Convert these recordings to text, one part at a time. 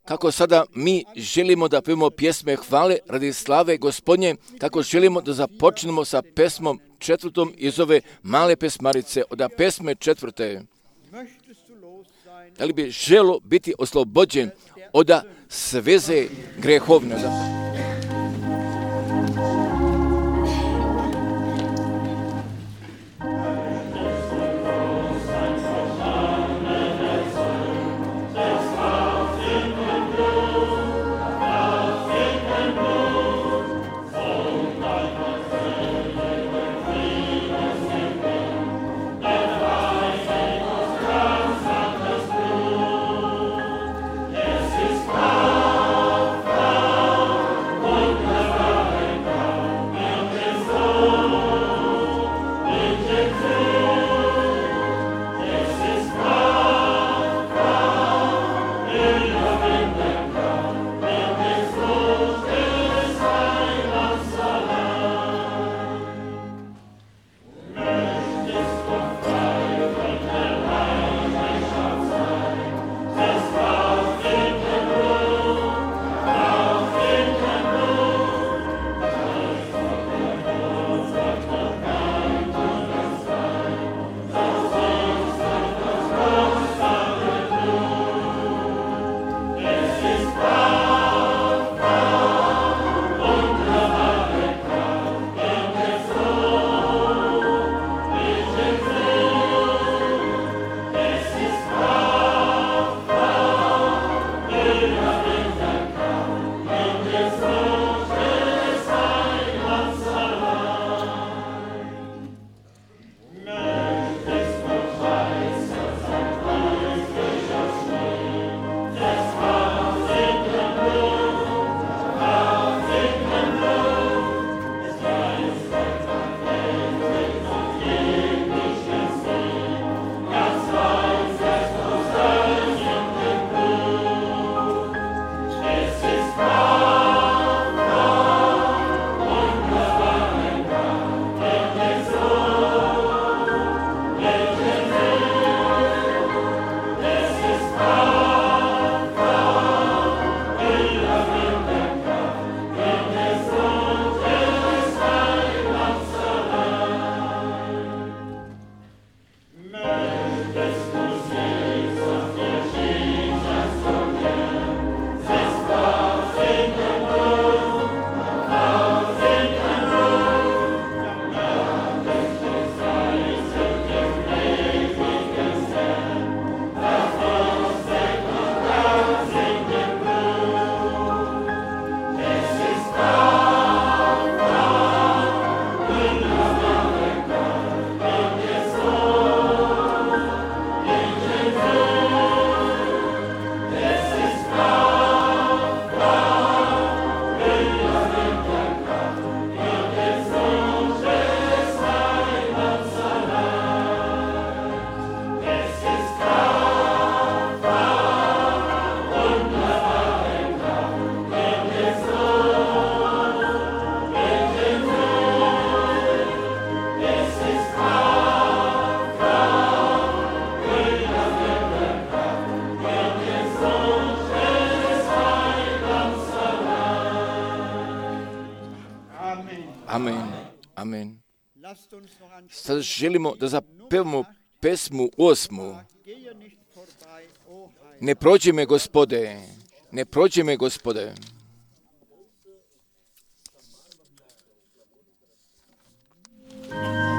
kako sada mi želimo da pevamo pjesme hvale radi slave Gospodnje, kako želimo da započnemo sa pesmom 4. iz ove male pesmarice, od pesme 4. Da li bi želo biti oslobođen od sveze grehovne? Amen. Sad želimo da zapevamo pesmu 8. Ne prođi me, Gospode, ne prođi me, Gospode. Yeah.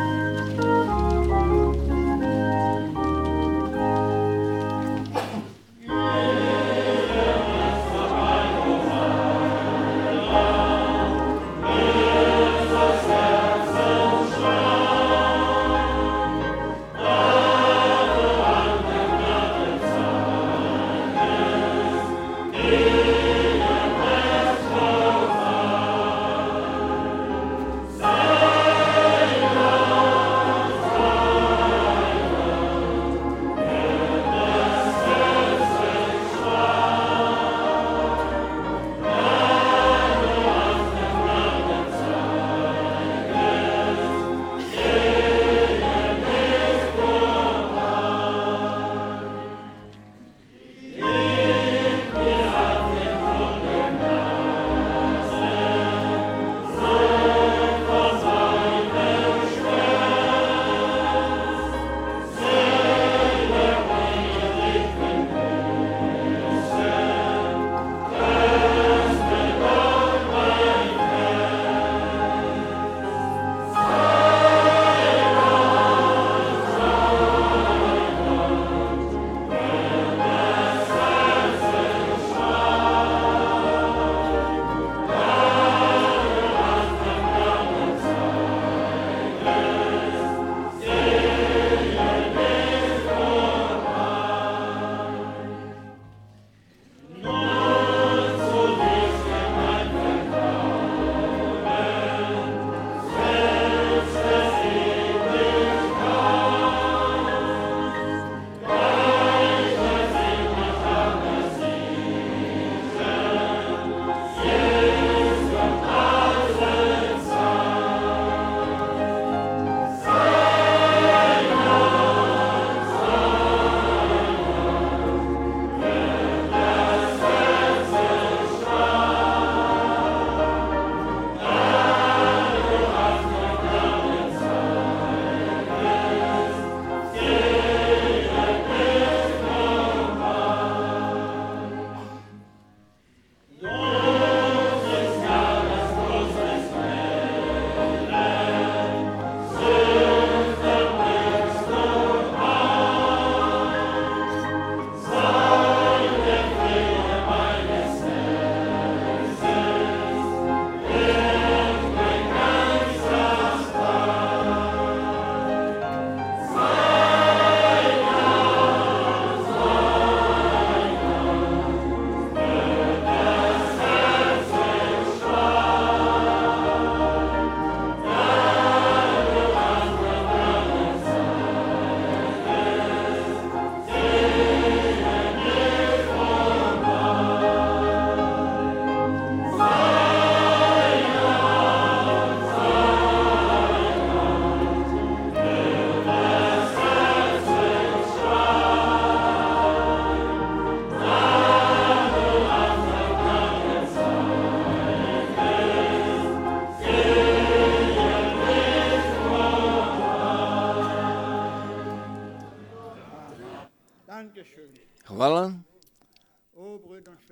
hvala,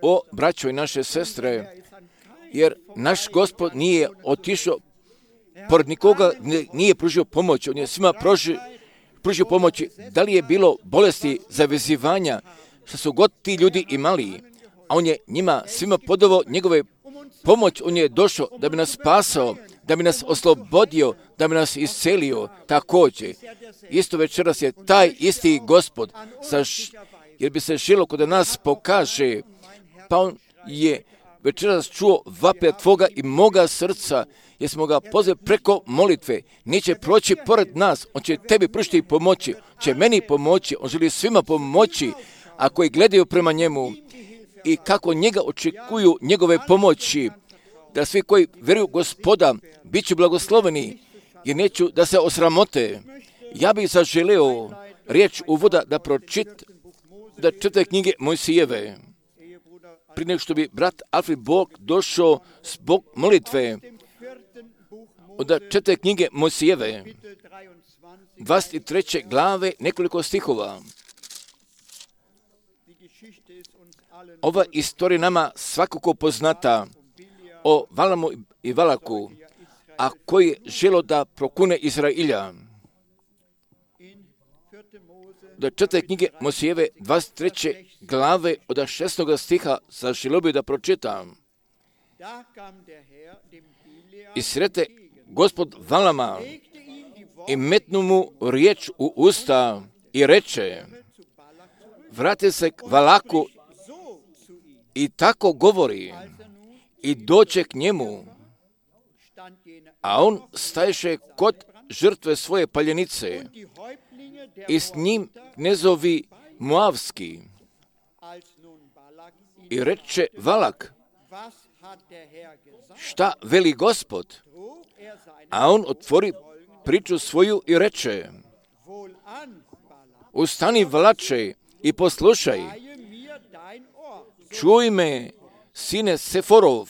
o braćo i naše sestre, jer naš Gospod nije otišao pored nikoga, nije pružio pomoć, on je svima pružio pomoći. Da li je bilo bolesti, zavezivanja, što su god ti ljudi imali, a on je njima svima podavao njegove pomoć, on je došao da bi nas spasao, da bi nas oslobodio, da bi nas iscelio. Također, isto večeras je taj isti Gospod, jer bi se želo kod nas pokaže, pa on je večeras čuo vape tvoga i moga srca, jer smo ga pozvali preko molitve. Neće proći pored nas, on će tebi pružiti pomoći, će meni pomoći, on želi svima pomoći, a koji gledaju prema njemu i kako njega očekuju njegove pomoći, da svi koji vjeruju Gospoda bit će blagosloveni, jer neću da se osramote. Ja bih zaželeo riječ uvoda da čitaju knjige Mojsijeve. Prije nego što bi brat Alfred Bog došao zbog molitve, da čitaju knjige Mojsijeve, 23. glave, nekoliko stihova. Ova istorija nama svakako poznata o Valamu i Valaku, a koji je želo da prokune Izrailja. Da čitaju knjige Mojsijeve, 23. glave, od 6. stiha, zaželio bi da pročitam. I srete Gospod Valama i metnu mu riječ u usta i reče, vrati se k Valaku i tako govori i doće k njemu, a on staješe kod žrtve svoje paljenice i s njim knezovi Moavski. I reče Valak, šta veli Gospod? A on otvori priču svoju i reče, ustani Valače i poslušaj, čuj me, sine Seforov,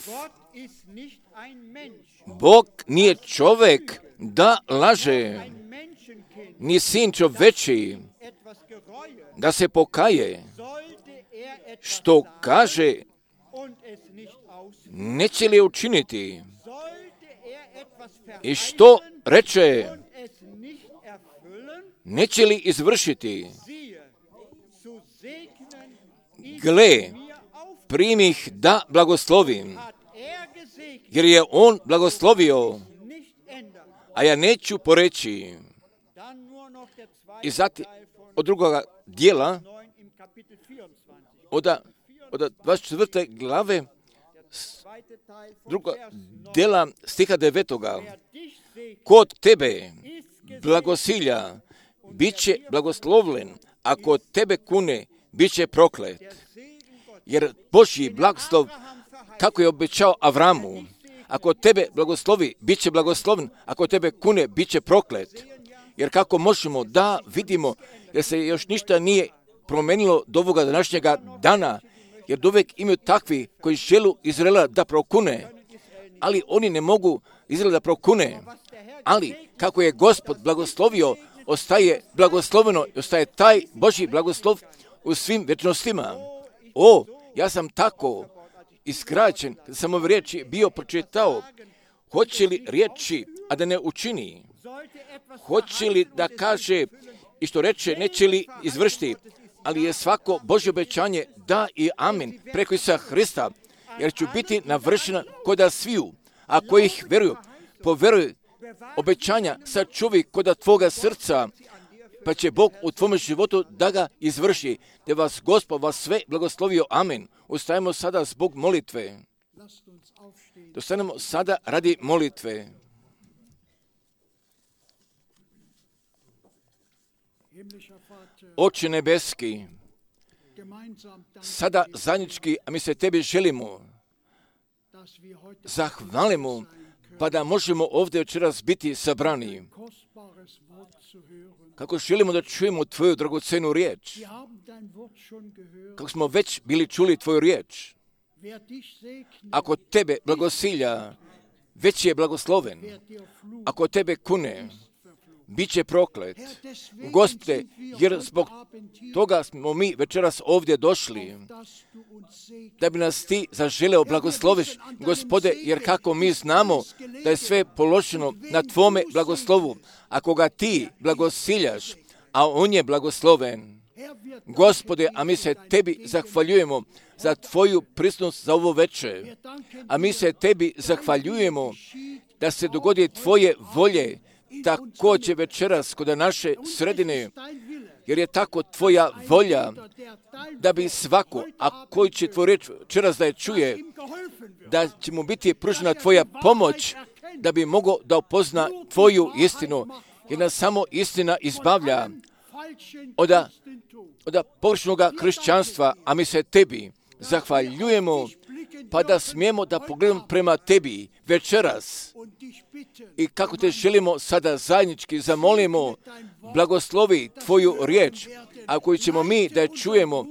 Bog nije čovjek da laže, ni sin čovječi da se pokaje, što kaže, neće li učiniti, i što reče, neće li izvršiti. Gle, primih da blagoslovim, jer je on blagoslovio, a ja neću poreći. I zatim od drugoga dijela, od 24. glave, druga dijela stiha 9. Kod tebe blagosilja bit će blagoslovljen, a kod tebe kune bit će proklet. Jer Božji blagoslov, kako je obećao Avramu, ako tebe blagoslovi, bit će blagosloven, ako tebe kune, bit će proklet. Jer kako možemo da vidimo, jer se još ništa nije promenilo do ovoga današnjega dana, jer uvijek imaju takvi koji želu Izraela da prokune, ali oni ne mogu Izraela da prokune. Ali kako je Gospod blagoslovio, ostaje blagosloveno i ostaje taj Božji blagoslov u svim večnostima. Ja sam tako iskraćen, kada sam ove riječi bio pročitao, hoće li riječi, a da ne učini? Hoće li da kaže i što reče, neće li izvršiti? Ali je svako Božje obećanje da i amin preko Isusa Hrista, jer ću biti navršena koda sviju, a koji ih veruju, poveruju obećanja, sačuvi koda tvoga srca, pa će Bog u tvome životu da ga izvrši, da vas Gospod vas sve blagoslovio. Amin. Ustajemo sada zbog molitve. Dostanemo sada radi molitve. Oče nebeski, sada zajednički, a mi se tebi želimo, zahvalimo, pa da možemo ovdje večeras biti sabrani. Kako želimo da čujemo tvoju dragocenu riječ. Kako smo već bili čuli tvoju riječ. Ako tebe blagosilja, već je blagosloven. Ako tebe kune, bit će proklet. Gospode, jer zbog toga smo mi večeras ovdje došli, da bi nas ti zaželeo blagosloviš, Gospode, jer kako mi znamo da je sve položeno na tvome blagoslovu, ako ga ti blagosiljaš, a on je blagosloven. Gospode, a mi se tebi zahvaljujemo za tvoju prisutnost za ovo večer, a mi se tebi zahvaljujemo da se dogodi tvoje volje, također večeras kod naše sredine, jer je tako tvoja volja, da bi svako, a koji će tvoj reč večeras da je čuje, da će mu biti pružena tvoja pomoć, da bi mogao da upozna tvoju istinu, jer nas samo istina izbavlja od pogrešnog kršćanstva, a mi se tebi zahvaljujemo, pa da smijemo da pogledamo prema tebi večeras. I kako te želimo sada zajednički zamolimo, blagoslovi tvoju riječ, a koju ćemo mi da je čujemo,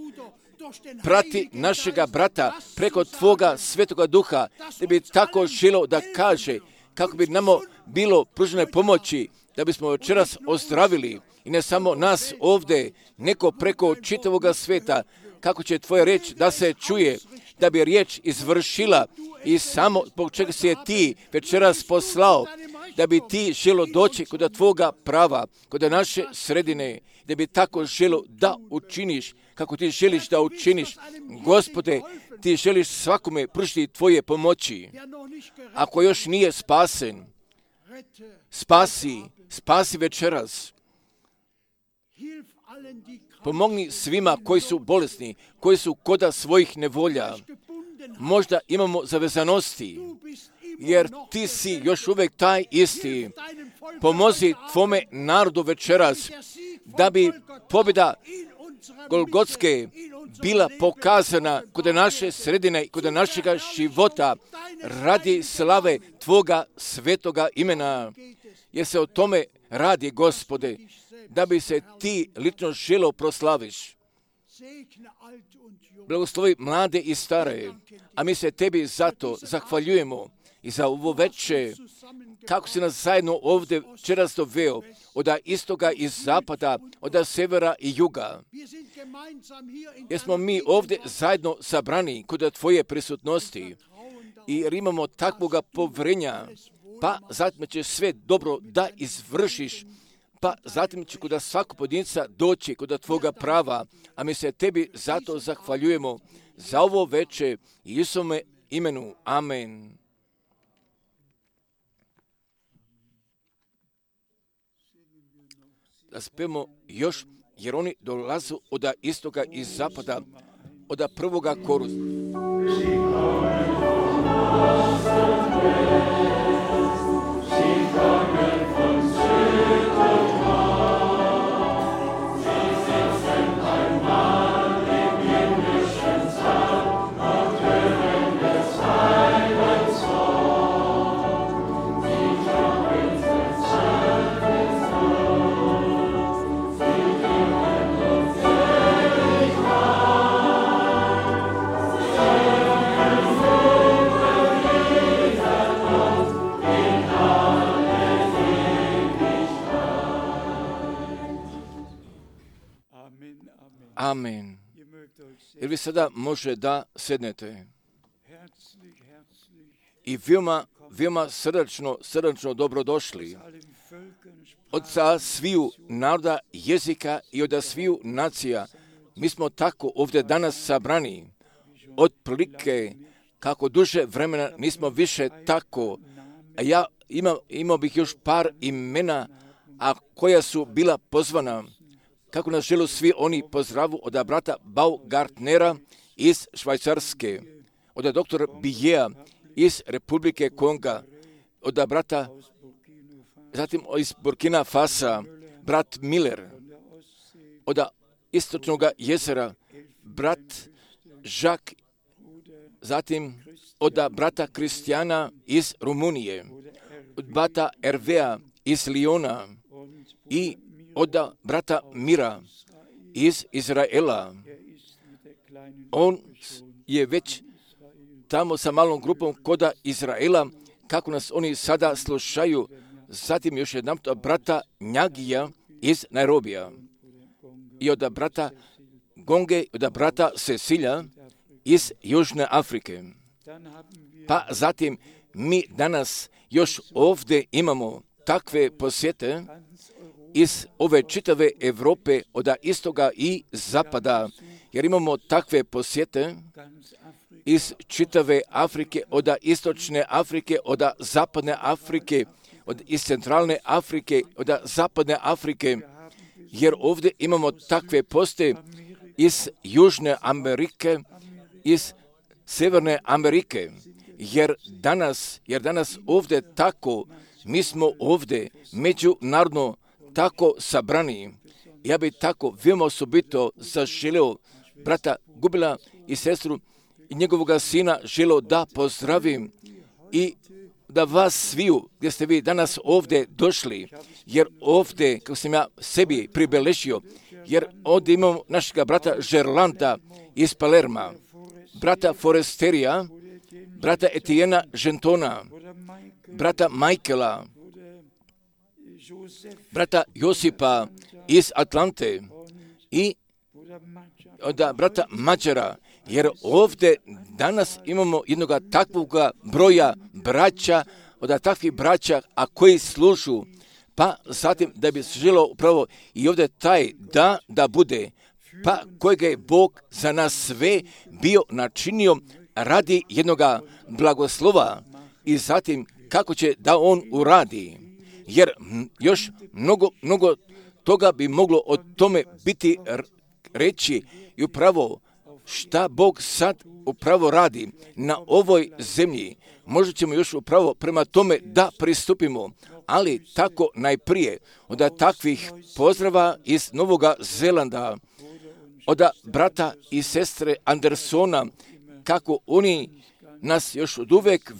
prati našega brata preko tvoga svetoga duha, da bi tako želio da kaže, kako bi nama bilo pružene pomoći, da bismo večeras ozdravili, i ne samo nas ovdje, neko preko čitavoga sveta, kako će tvoja riječ da se čuje, da bi riječ izvršila, i samo zbog čega si je ti večeras poslao, da bi ti želo doći kod tvoga prava, kod naše sredine, da bi tako želo da učiniš, kako ti želiš da učiniš. Gospode, ti želiš svakome pružiti tvoje pomoći. Ako još nije spasen, spasi večeras. Pomogni svima koji su bolesni, koji su koda svojih nevolja. Možda imamo zavezanosti, jer ti si još uvijek taj isti. Pomozi tvome narodu večeras, da bi pobjeda Golgotske bila pokazana kod naše sredine i kod našega života radi slave tvoga svetoga imena. Jer se o tome radi, Gospode, da bi se ti lično želeo proslaviš. Blagoslovi mlade i stare, a mi se tebi zato zahvaljujemo i za ovo večer, kako si nas zajedno ovdje večeras doveo, od istoga i zapada, od severa i juga. Jer smo mi ovdje zajedno sabrani kod tvoje prisutnosti, jer imamo takvoga povjerenja, pa zatim će sve dobro da izvršiš, pa zatim će kod svakog pojedinca doći kod tvoga prava, a mi se tebi zato zahvaljujemo za ovo večer i Isuse imenu. Amen. Da spemo još, jer oni dolazu od istoga i zapada, od prvoga korusa. Amen. Jer vi sada može da sednete. I veoma srdačno dobrodošli od sviju naroda, jezika i od sviju nacija. Mi smo tako ovdje danas sabrani. Otprilike, kako duže vremena nismo više tako. A ja imao bih još par imena, a koja su bila pozvana. Kako nas želu svi oni pozdravu od brata Baumgartnera iz Švajcarske, od doktora Bijea iz Republike Konga, od brata, zatim iz Burkina Fasa, brat Miller, od istočnog jezera, brat Jacques, zatim od brata Kristijana iz Rumunije, od brata Hervea iz Liona i od brata Mira iz Izraela. On je već tamo sa malom grupom koda Izraela, kako nas oni sada slušaju, zatim još jedan od brata Njagija iz Nairobija i od brata Gonge, od brata Cecilja iz Južne Afrike. Pa zatim mi danas još ovdje imamo takve posjete iz ove čitave Europe, od istoga i zapada, jer imamo takve posjete iz čitave Afrike, od istočne Afrike, od zapadne Afrike, iz centralne Afrike, od zapadne Afrike, jer ovdje imamo takve poste iz Južne Amerike, iz Sjeverne Amerike, jer danas ovdje tako, mi smo ovdje međunarodno tako sabrani. Ja bi tako veoma osobito zaželio brata Gubila i sestru i njegovoga sina želio da pozdravim i da vas sviju gdje ste vi danas ovdje došli, jer ovdje, kako sam ja sebi pribeležio, jer ovdje imamo našega brata Žerlanda iz Palerma, brata Foresterija, brata Etiena Gentona, brata Michaela, brata Josipa iz Atlante i od brata Mađara, jer ovdje danas imamo jednog takvog broja braća, od takvih braća, a koji služu, pa zatim da bi se želio upravo i ovdje taj da bude, pa kojega je Bog za nas sve bio načinio radi jednog blagoslova i zatim kako će da on uradi, jer još mnogo toga bi moglo o tome biti reći i upravo šta Bog sad upravo radi na ovoj zemlji. Možda ćemo još upravo prema tome da pristupimo, ali tako najprije od takvih pozdrava iz Novog Zelanda, od brata i sestre Andersona, kako oni nas još od uvek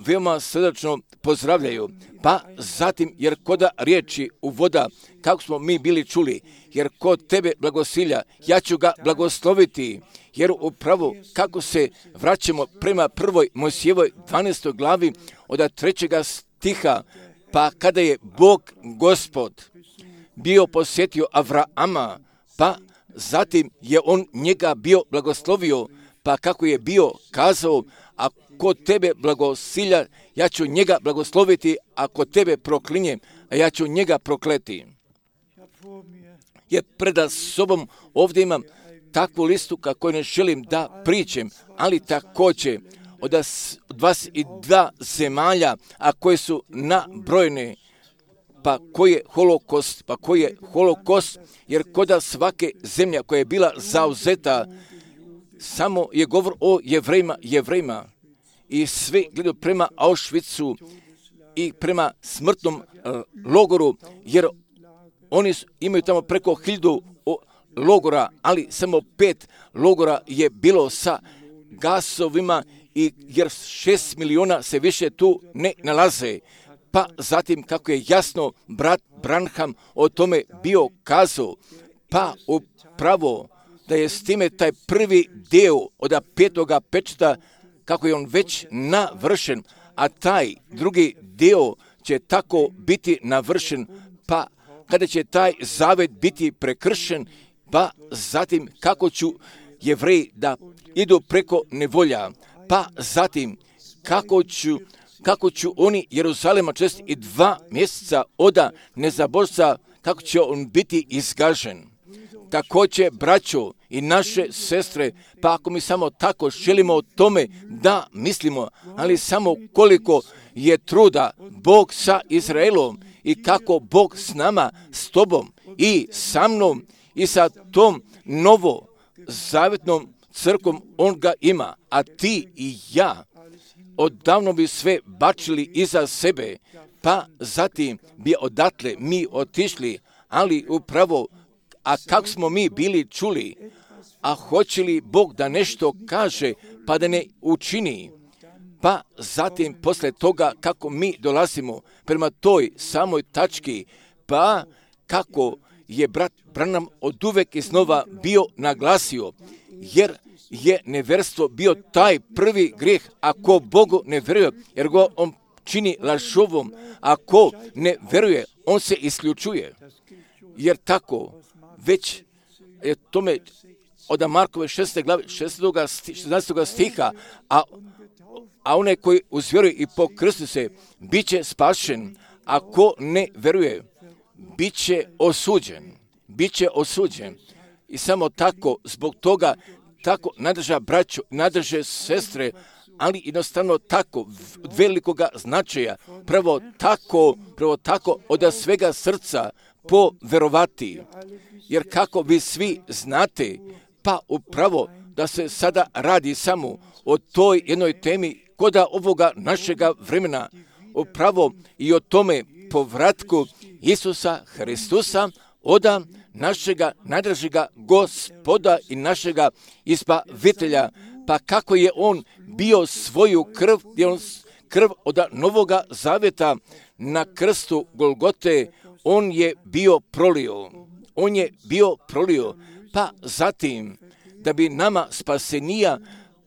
veoma srdačno pozdravljaju. Pa zatim, jer koda riječi u voda, kako smo mi bili čuli, jer kod tebe blagosilja, ja ću ga blagosloviti, jer upravo kako se vraćamo prema prvoj Mojsijevoj 12. glavi od 3. stiha, pa kada je Bog Gospod bio posjetio Avraama, pa zatim je on njega bio blagoslovio, pa kako je bio kazao, a kod tebe blagosilja, ja ću njega blagosloviti, a kod tebe proklinjem, a ja ću njega prokleti. Jer preda sobom ovdje imam takvu listu kako ne želim da pričem, ali također od 22 zemalja, a koje su nabrojene, pa koji je holokost, jer koda svake zemlja koja je bila zauzeta, samo je govor o Jevrejima i svi gledaju prema Auschwitzu i prema smrtnom logoru, jer oni imaju tamo preko 1000 logora, ali samo 5 logora je bilo sa gasovima, jer 6 miliona se više tu ne nalaze. Pa zatim kako je jasno brat Branham o tome bio kazao, pa upravo da je s time taj prvi dio od 5. pečata, kako je on već navršen, a taj drugi dio će tako biti navršen, pa kada će taj zavet biti prekršen, pa zatim kako ću Jevreji da idu preko nevolja, pa zatim kako ću oni Jeruzalema 2 mjeseca od nezabožca, kako će on biti izgažen. Također, braćo i naše sestre, pa ako mi samo tako želimo o tome da mislimo, ali samo koliko je truda Bog sa Izraelom i kako Bog s nama, s tobom i sa mnom i sa tom novo zavetnom crkvom on ga ima, a ti i ja odavno bi sve bačili iza sebe, pa zatim bi odatle mi otišli, ali upravo, a kako smo mi bili čuli, a hoće li Bog da nešto kaže, pa da ne učini, pa zatim posle toga kako mi dolazimo prema toj samoj tački, pa kako je brat Branham oduvek iznova bio naglasio, jer je neverstvo bio taj prvi grijeh, ako Bogu ne vjeruje, jer go on čini lažovom, a ko ne veruje, on se isključuje. Jer tako, već je tome od Markove 6. glave 16. stiha, a onaj koji uzvjeruje i pokrsti se, bit će spašen, a ko ne veruje, bit će osuđen. I samo tako, zbog toga, tako nadrža braću, nadrže sestre, ali jednostavno tako velikoga značaja, prvo tako od svega srca poverovati. Jer kako vi svi znate, pa upravo da se sada radi samo o toj jednoj temi koda ovoga našega vremena, upravo i o tome povratku Isusa Hristusa, oda našega najdražega Gospoda i našega Izbavitelja, pa kako je on bio svoju krv, krv od Novoga Zaveta na krstu Golgote, on je bio prolio, pa zatim da bi nama spasenija,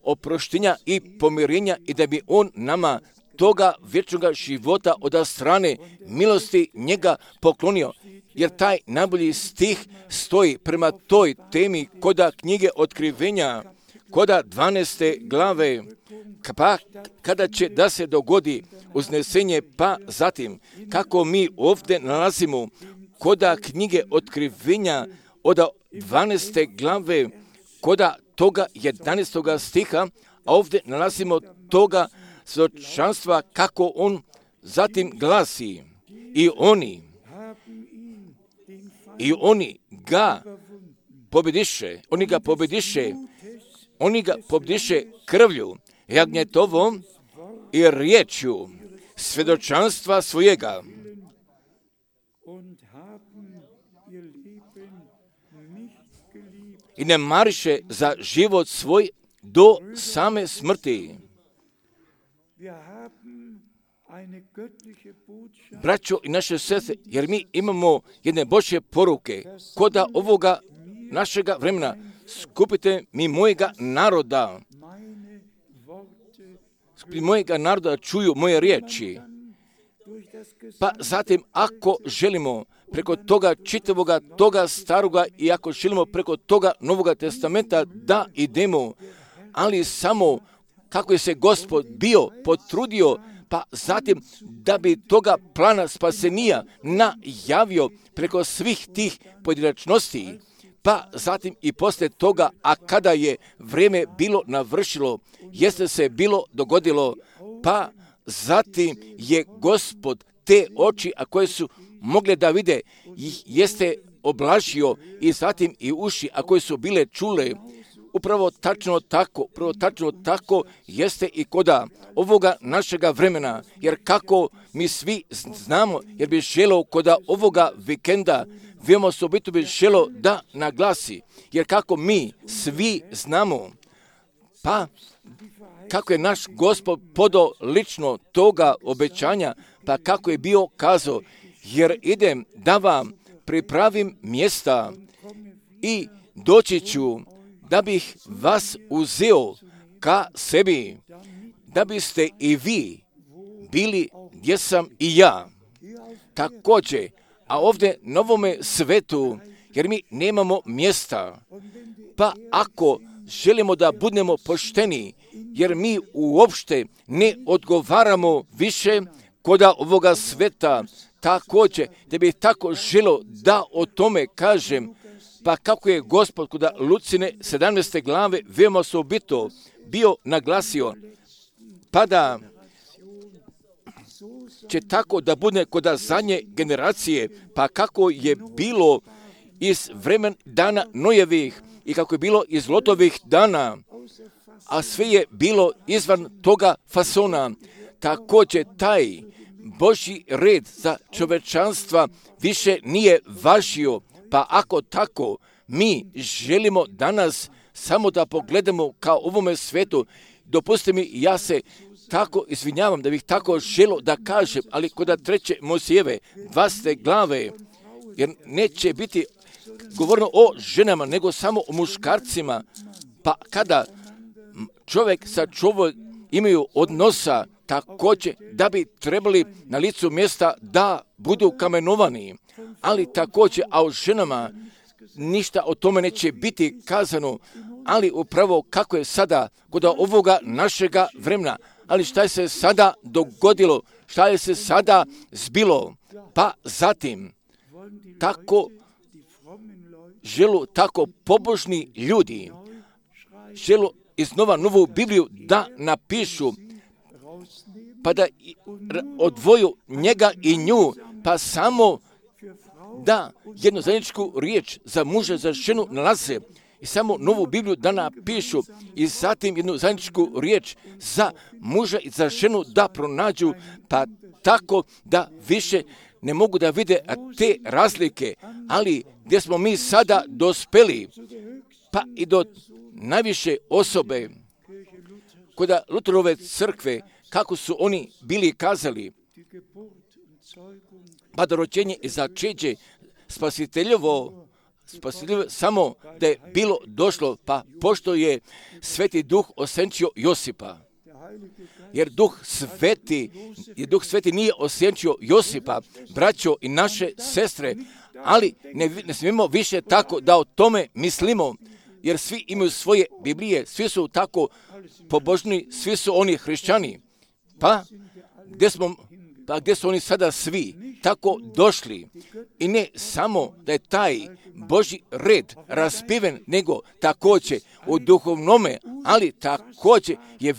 oproštenja i pomirenja i da bi on nama toga vječnoga života od strane milosti njega poklonio. Jer taj najbolji stih stoji prema toj temi koda knjige Otkrivenja, koda 12. glave, pa kada će da se dogodi uznesenje, pa zatim kako mi ovdje nalazimo koda knjige Otkrivenja od 12. glave, koda toga 11. stiha, a ovdje nalazimo toga svjedočanstva kako on zatim glasi i oni ga pobjediše krvlju jagnjetovom i riječju svjedočanstva svojega. I ne mariše za život svoj do same smrti. Braćo i naše sestre, jer mi imamo jedne Božje poruke, koda ovoga našega vremena, skupite mi mojega naroda čuju moje riječi. Pa zatim, ako želimo preko toga čitavoga, toga staroga i ako želimo preko toga Novoga testamenta da idemo, ali samo kako je se Gospod bio potrudio, pa zatim da bi toga plana spasenija najavio preko svih tih pojedinačnosti, pa zatim i poslije toga, a kada je vrijeme bilo navršilo, jeste se bilo dogodilo, pa zatim je Gospod te oči, a koje su mogle da vide, jeste oblažio i zatim i uši, a koje su bile čule. Upravo tačno tako jeste i koda ovoga našega vremena, jer kako mi svi znamo, jer bi želo koda ovoga vikenda, veoma osobito bi želo da naglasi, jer kako mi svi znamo, pa kako je naš Gospod podao lično toga obećanja, pa kako je bio kazao, jer idem da vam pripravim mjesta i doći ću da bih vas uzeo ka sebi, da biste i vi bili gdje sam i ja. Također, a ovdje na ovome svetu, jer mi nemamo mjesta, pa ako želimo da budemo pošteni, jer mi uopšte ne odgovaramo više koda ovoga sveta, također, da bih tako želio da o tome kažem, pa kako je Gospod koda Lucine 17. glave veoma osobito bio naglasio, pa da će tako da bude koda zadnje generacije, pa kako je bilo iz vremen dana Nojevih i kako je bilo iz Lotovih dana, a sve je bilo izvan toga fasona. Također taj Božji red za čovečanstva više nije važio, pa ako tako mi želimo danas samo da pogledamo kao ovome svetu, dopustite mi, ja se tako izvinjavam da bih tako želio da kažem, ali kod 3. Mojsijeve 20. glave, jer neće biti govoreno o ženama, nego samo o muškarcima, pa kada čovjek sa čovjek imaju odnosa također da bi trebali na licu mjesta da budu kamenovani, ali također, a o ženama ništa o tome neće biti kazano, ali upravo kako je sada kod ovoga našega vremena. Ali šta je se sada dogodilo, šta je se sada zbilo, pa zatim tako želu tako pobožni ljudi želu iznova novu Bibliju da napišu, pa da odvoju njega i nju, pa samo da jednu zajedničku riječ za muža, za ženu nalaze i samo novu Bibliju da napišu i zatim jednu zajedničku riječ za muža i za ženu da pronađu, pa tako da više ne mogu da vide te razlike, ali gdje smo mi sada dospeli, pa i do najviše osobe kod Lutherove crkve, kako su oni bili kazali, pa da rođenje i začeđe spasiteljovo samo da je bilo došlo, pa pošto je Sveti Duh osjenčio Josipa. Jer Duh Sveti nije osjenčio Josipa, braćo i naše sestre, ali ne smijemo više tako da o tome mislimo, jer svi imaju svoje Biblije, svi su tako pobožni, svi su oni hrišćani. Pa gdje su oni sada svi tako došli? I ne samo da je taj Božji red raspiven, nego također u duhovnome, ali također je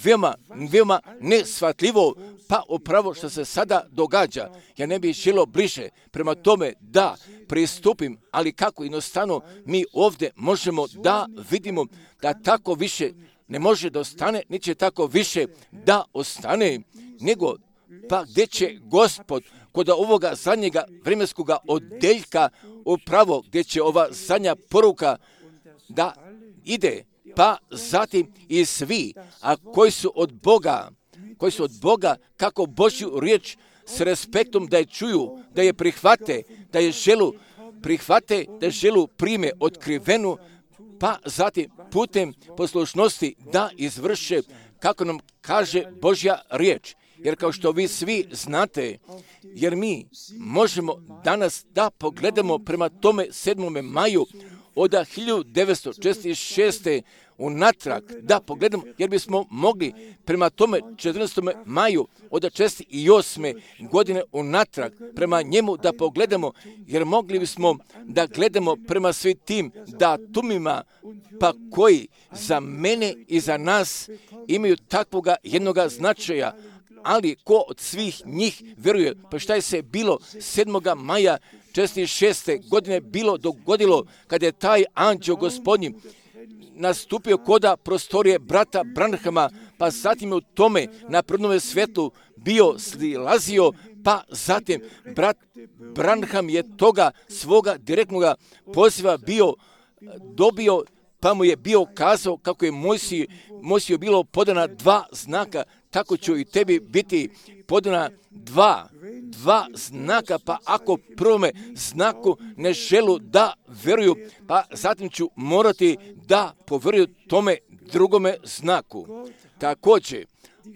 veoma neshvatljivo, pa upravo što se sada događa. Ja ne bih želio bliže prema tome da pristupim, ali kako jednostavno mi ovdje možemo da vidimo da tako više ne može da ostane, neće tako više da ostane, nego pa gdje će Gospod kod ovoga zadnjega vremenskoga odeljka upravo gdje će ova zadnja poruka da ide, pa zatim i svi, a koji su od Boga kako Božju riječ s respektom da je čuju, da je prihvate, da je želu prime otkrivenu, pa zatim putem poslušnosti da izvrše kako nam kaže Božja riječ. Jer kao što vi svi znate, jer mi možemo danas da pogledamo prema tome 7. maju od 1946. unatrag, da pogledamo, jer bismo mogli prema tome 14. maju od 1948. godine unatrag, prema njemu da pogledamo, jer mogli bismo da gledamo prema svim tim datumima, pa koji za mene i za nas imaju takvoga jednoga značaja, ali ko od svih njih vjeruje, pa šta je se bilo 7. maja 1946. godine bilo dogodilo kada je taj anđeo gospodnji nastupio koda prostorije brata Branhama, pa zatim je u tome na prvnome svijetu bio silazio, pa zatim brat Branham je toga svoga direktnoga poziva bio dobio, pa mu je bio kazao kako je Mojsiju bilo podana 2 znaka, tako ću i tebi biti podana dva znaka, pa ako prvome znaku ne želu da veruju, pa zatim ću morati da poveruju tome drugome znaku. Također,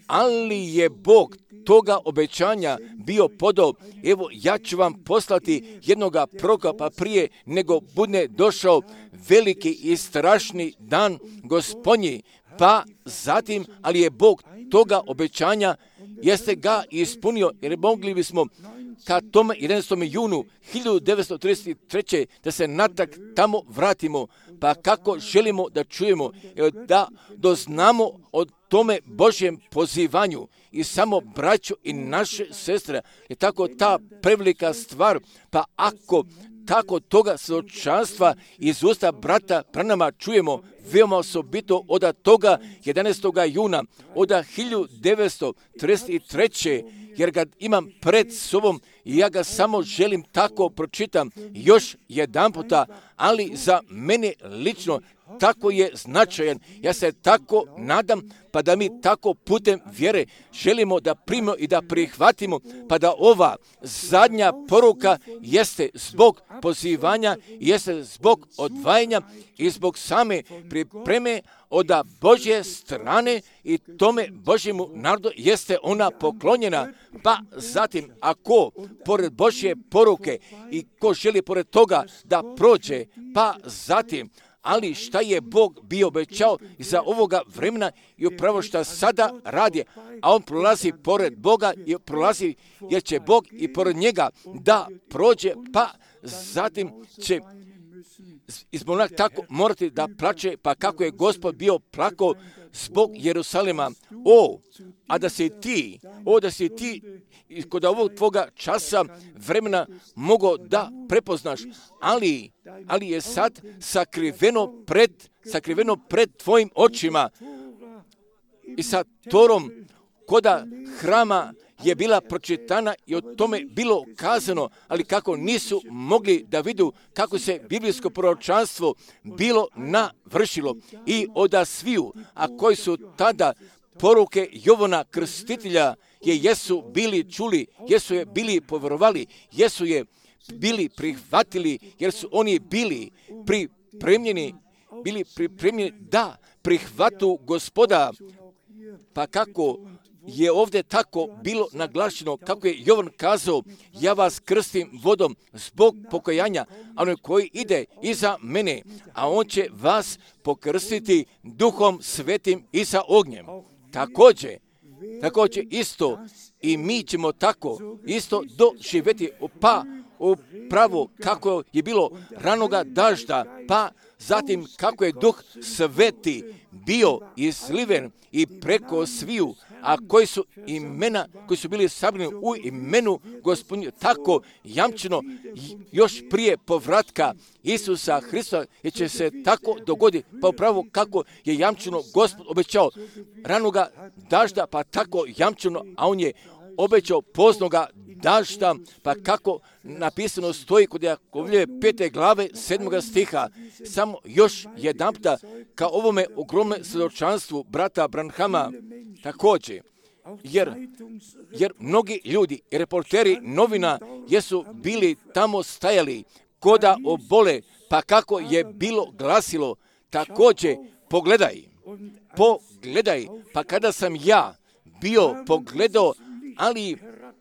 ali je Bog toga obećanja bio podao, evo ja ću vam poslati jednoga proroka, pa prije nego bude došao veliki i strašni dan Gospodnji, pa zatim, ali je Bog toga obećanja jeste ga ispunio, jer mogli bismo ka tome 11. junu 1933. da se natrag tamo vratimo, pa kako želimo da čujemo, da doznamo o tome Božjem pozivanju i samo braćo i naše sestre, je tako ta prevelika stvar, pa ako tako toga svjedočanstva iz usta brata Branhama čujemo veoma osobito od toga 11. juna od 1933. jer ga imam pred sobom i ja ga samo želim tako pročitam još jedan puta, ali za mene lično tako je značajan. Ja se tako nadam, pa da mi tako putem vjere želimo da primimo i da prihvatimo, pa da ova zadnja poruka jeste zbog pozivanja, jeste zbog odvajanja i zbog same pripreme od Božje strane i tome Božjemu narodu jeste ona poklonjena. Pa zatim, ako pored Božje poruke i ko želi pored toga da prođe, pa zatim, ali šta je Bog bio obećao za ovoga vremena i upravo šta sada radi, a on prolazi pored Boga i prolazi jer će Bog i pored njega da prođe, pa zatim će izbolnak tako morati da plače, pa kako je Gospod bio plakao zbog Jerusalema. Da si ti kod ovog tvoga časa vremena mogao da prepoznaš, ali je sad sakriveno pred tvojim očima i sa Torom koda hrama je bila pročitana i o tome bilo kazano, ali kako nisu mogli da vidu kako se biblijsko proročanstvo bilo navršilo i od sviju, a koji su tada poruke Jovana Krstitelja jesu bili čuli, jesu je bili povjerovali, jesu je bili prihvatili, jer su oni bili pripremljeni da prihvatu Gospoda. Pa kako je ovdje tako bilo naglašeno, kako je Jovan kazao, ja vas krstim vodom zbog pokajanja, a onaj koji ide iza mene, a on će vas pokrstiti Duhom Svetim i sa ognjem. Također isto i mi ćemo tako isto doživjeti, pa upravo kako je bilo ranoga dažda, pa zatim kako je Duh Sveti bio izliven i preko sviju, a koji su imena, koji su bili sabrani u imenu Gospodnju, tako jamčeno još prije povratka Isusa Hrista, jer će se tako dogoditi, pa upravo kako je jamčeno Gospod obećao ranoga dažda, pa tako jamčeno, a on je obećao poznoga dažda, pa kako napisano stoji kod Jakovljeve 5. glave 7. stiha. Samo još jedanputa ka ovome ogromnom svjedočanstvu brata Branhama također, jer mnogi ljudi i reporteri novina jesu bili tamo stajali koda obole, pa kako je bilo glasilo, također pogledaj, pa kada sam ja bio pogledao, ali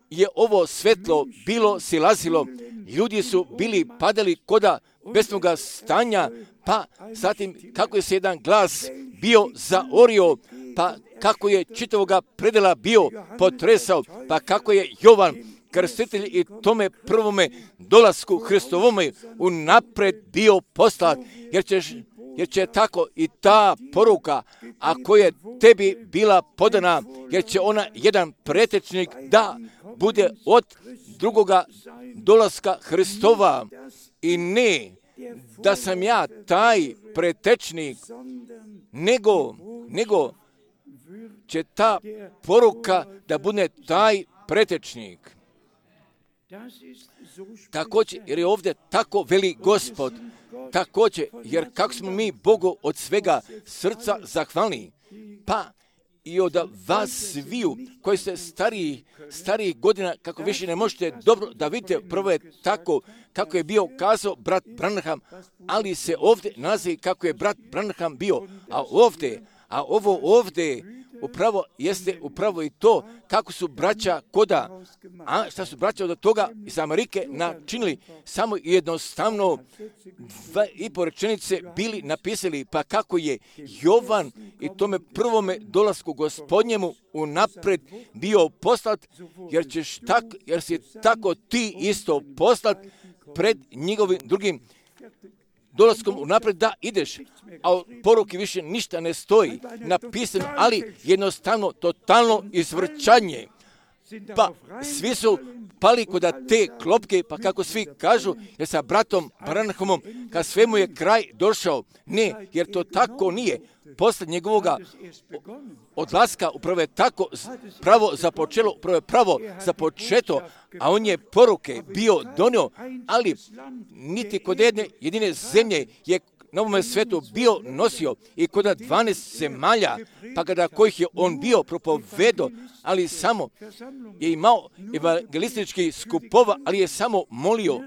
je ovo svetlo bilo silazilo, ljudi su bili padali koda besnoga stanja, pa zatim kako je se jedan glas bio zaorio, pa kako je čitavoga predela bio potresao, pa kako je Jovan Krstitelj i tome prvome dolasku Hristovome unapred bio poslat, jer će tako i ta poruka, ako je tebi bila podana, jer će ona jedan pretečnik da bude od drugoga dolaska Hristova, i ne da sam ja taj pretečnik, nego će ta poruka da bude taj pretečnik. Također, jer je ovdje tako veli Gospod, također, jer kako smo mi Bogu od svega srca zahvalni, pa i od vas sviju koji ste starijih godina, kako više ne možete dobro da vidite, prvo je tako kako je bio kazao brat Branham, ali se ovdje nalazi kako je brat Branham bio, a ovo ovdje upravo jeste upravo i to kako su braća koda, a šta su braća od toga iz Amerike načinili, samo jednostavno 2,5 rečenice bili napisali, pa kako je Jovan i tome prvome dolasku Gospodnjemu unapred bio poslat, jer si tako ti isto poslat pred njegovim drugim dolaskom unapred da ideš, a u poruki više ništa ne stoji napisano, ali jednostavno totalno izvrćanje. Pa svi su pali kod te klopke, pa kako svi kažu, jer sa bratom Branhamom, kad svemu je kraj došao. Ne, jer to tako nije. Posle njegovoga odlaska upravo je tako pravo započelo, upravo je pravo započeto, a on je poruke bio donio, ali niti kod jedine zemlje je na ovome svetu bio nosio i kod 12 zemalja, pa kada kojih je on bio propovedo, ali samo je imao evangelistički skupova, ali je samo molio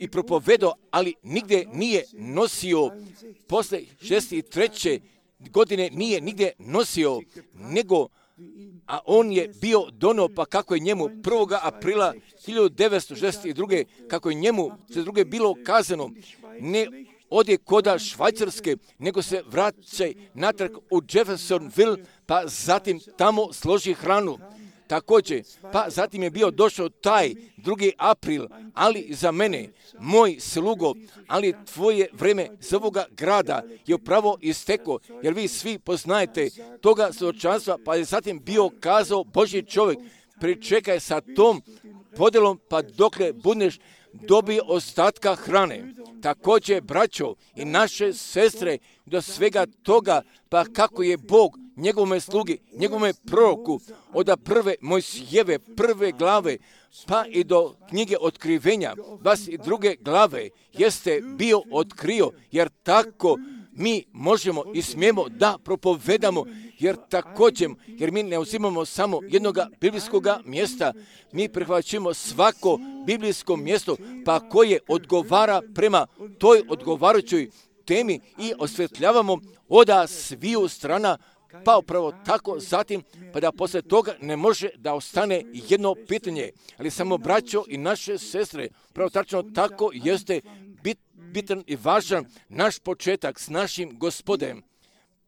i propovedao, ali nigdje nije nosio. Posle 63. godine nije nigdje nosio, nego, a on je bio donio, pa kako je njemu 1. aprila 1962. kako je njemu za druge bilo kazano, ne ode koda Švajcarske, nego se vraćaj natrag u Jeffersonville, pa zatim tamo složi hranu. Također, pa zatim je bio došao taj 2. april, ali za mene, moj slugo, ali tvoje vreme za ovoga grada je upravo isteklo, jer vi svi poznajete toga svjedočanstva, pa je zatim bio kazao Božji čovjek, pričekaj sa tom podelom, pa dokle budeš dobio ostatka hrane. Također, braćo i naše sestre, do svega toga, pa kako je Bog njegovome slugi, njegovome proroku, od prve Mojsijeve, 1. glave, pa i do knjige Otkrivenja, 22. glave, jeste bio otkrio, jer tako mi možemo i smijemo da propovedamo, jer također, jer mi ne uzimamo samo jednog biblijskog mjesta, mi prihvaćamo svako biblijsko mjesto, pa koje odgovara prema toj odgovarajućoj temi i osvetljavamo od sviju strana, pa upravo tako zatim, pa da poslije toga ne može da ostane jedno pitanje, ali samo braćo i naše sestre, pravo tačno tako jeste bitan i važan naš početak s našim Gospodem.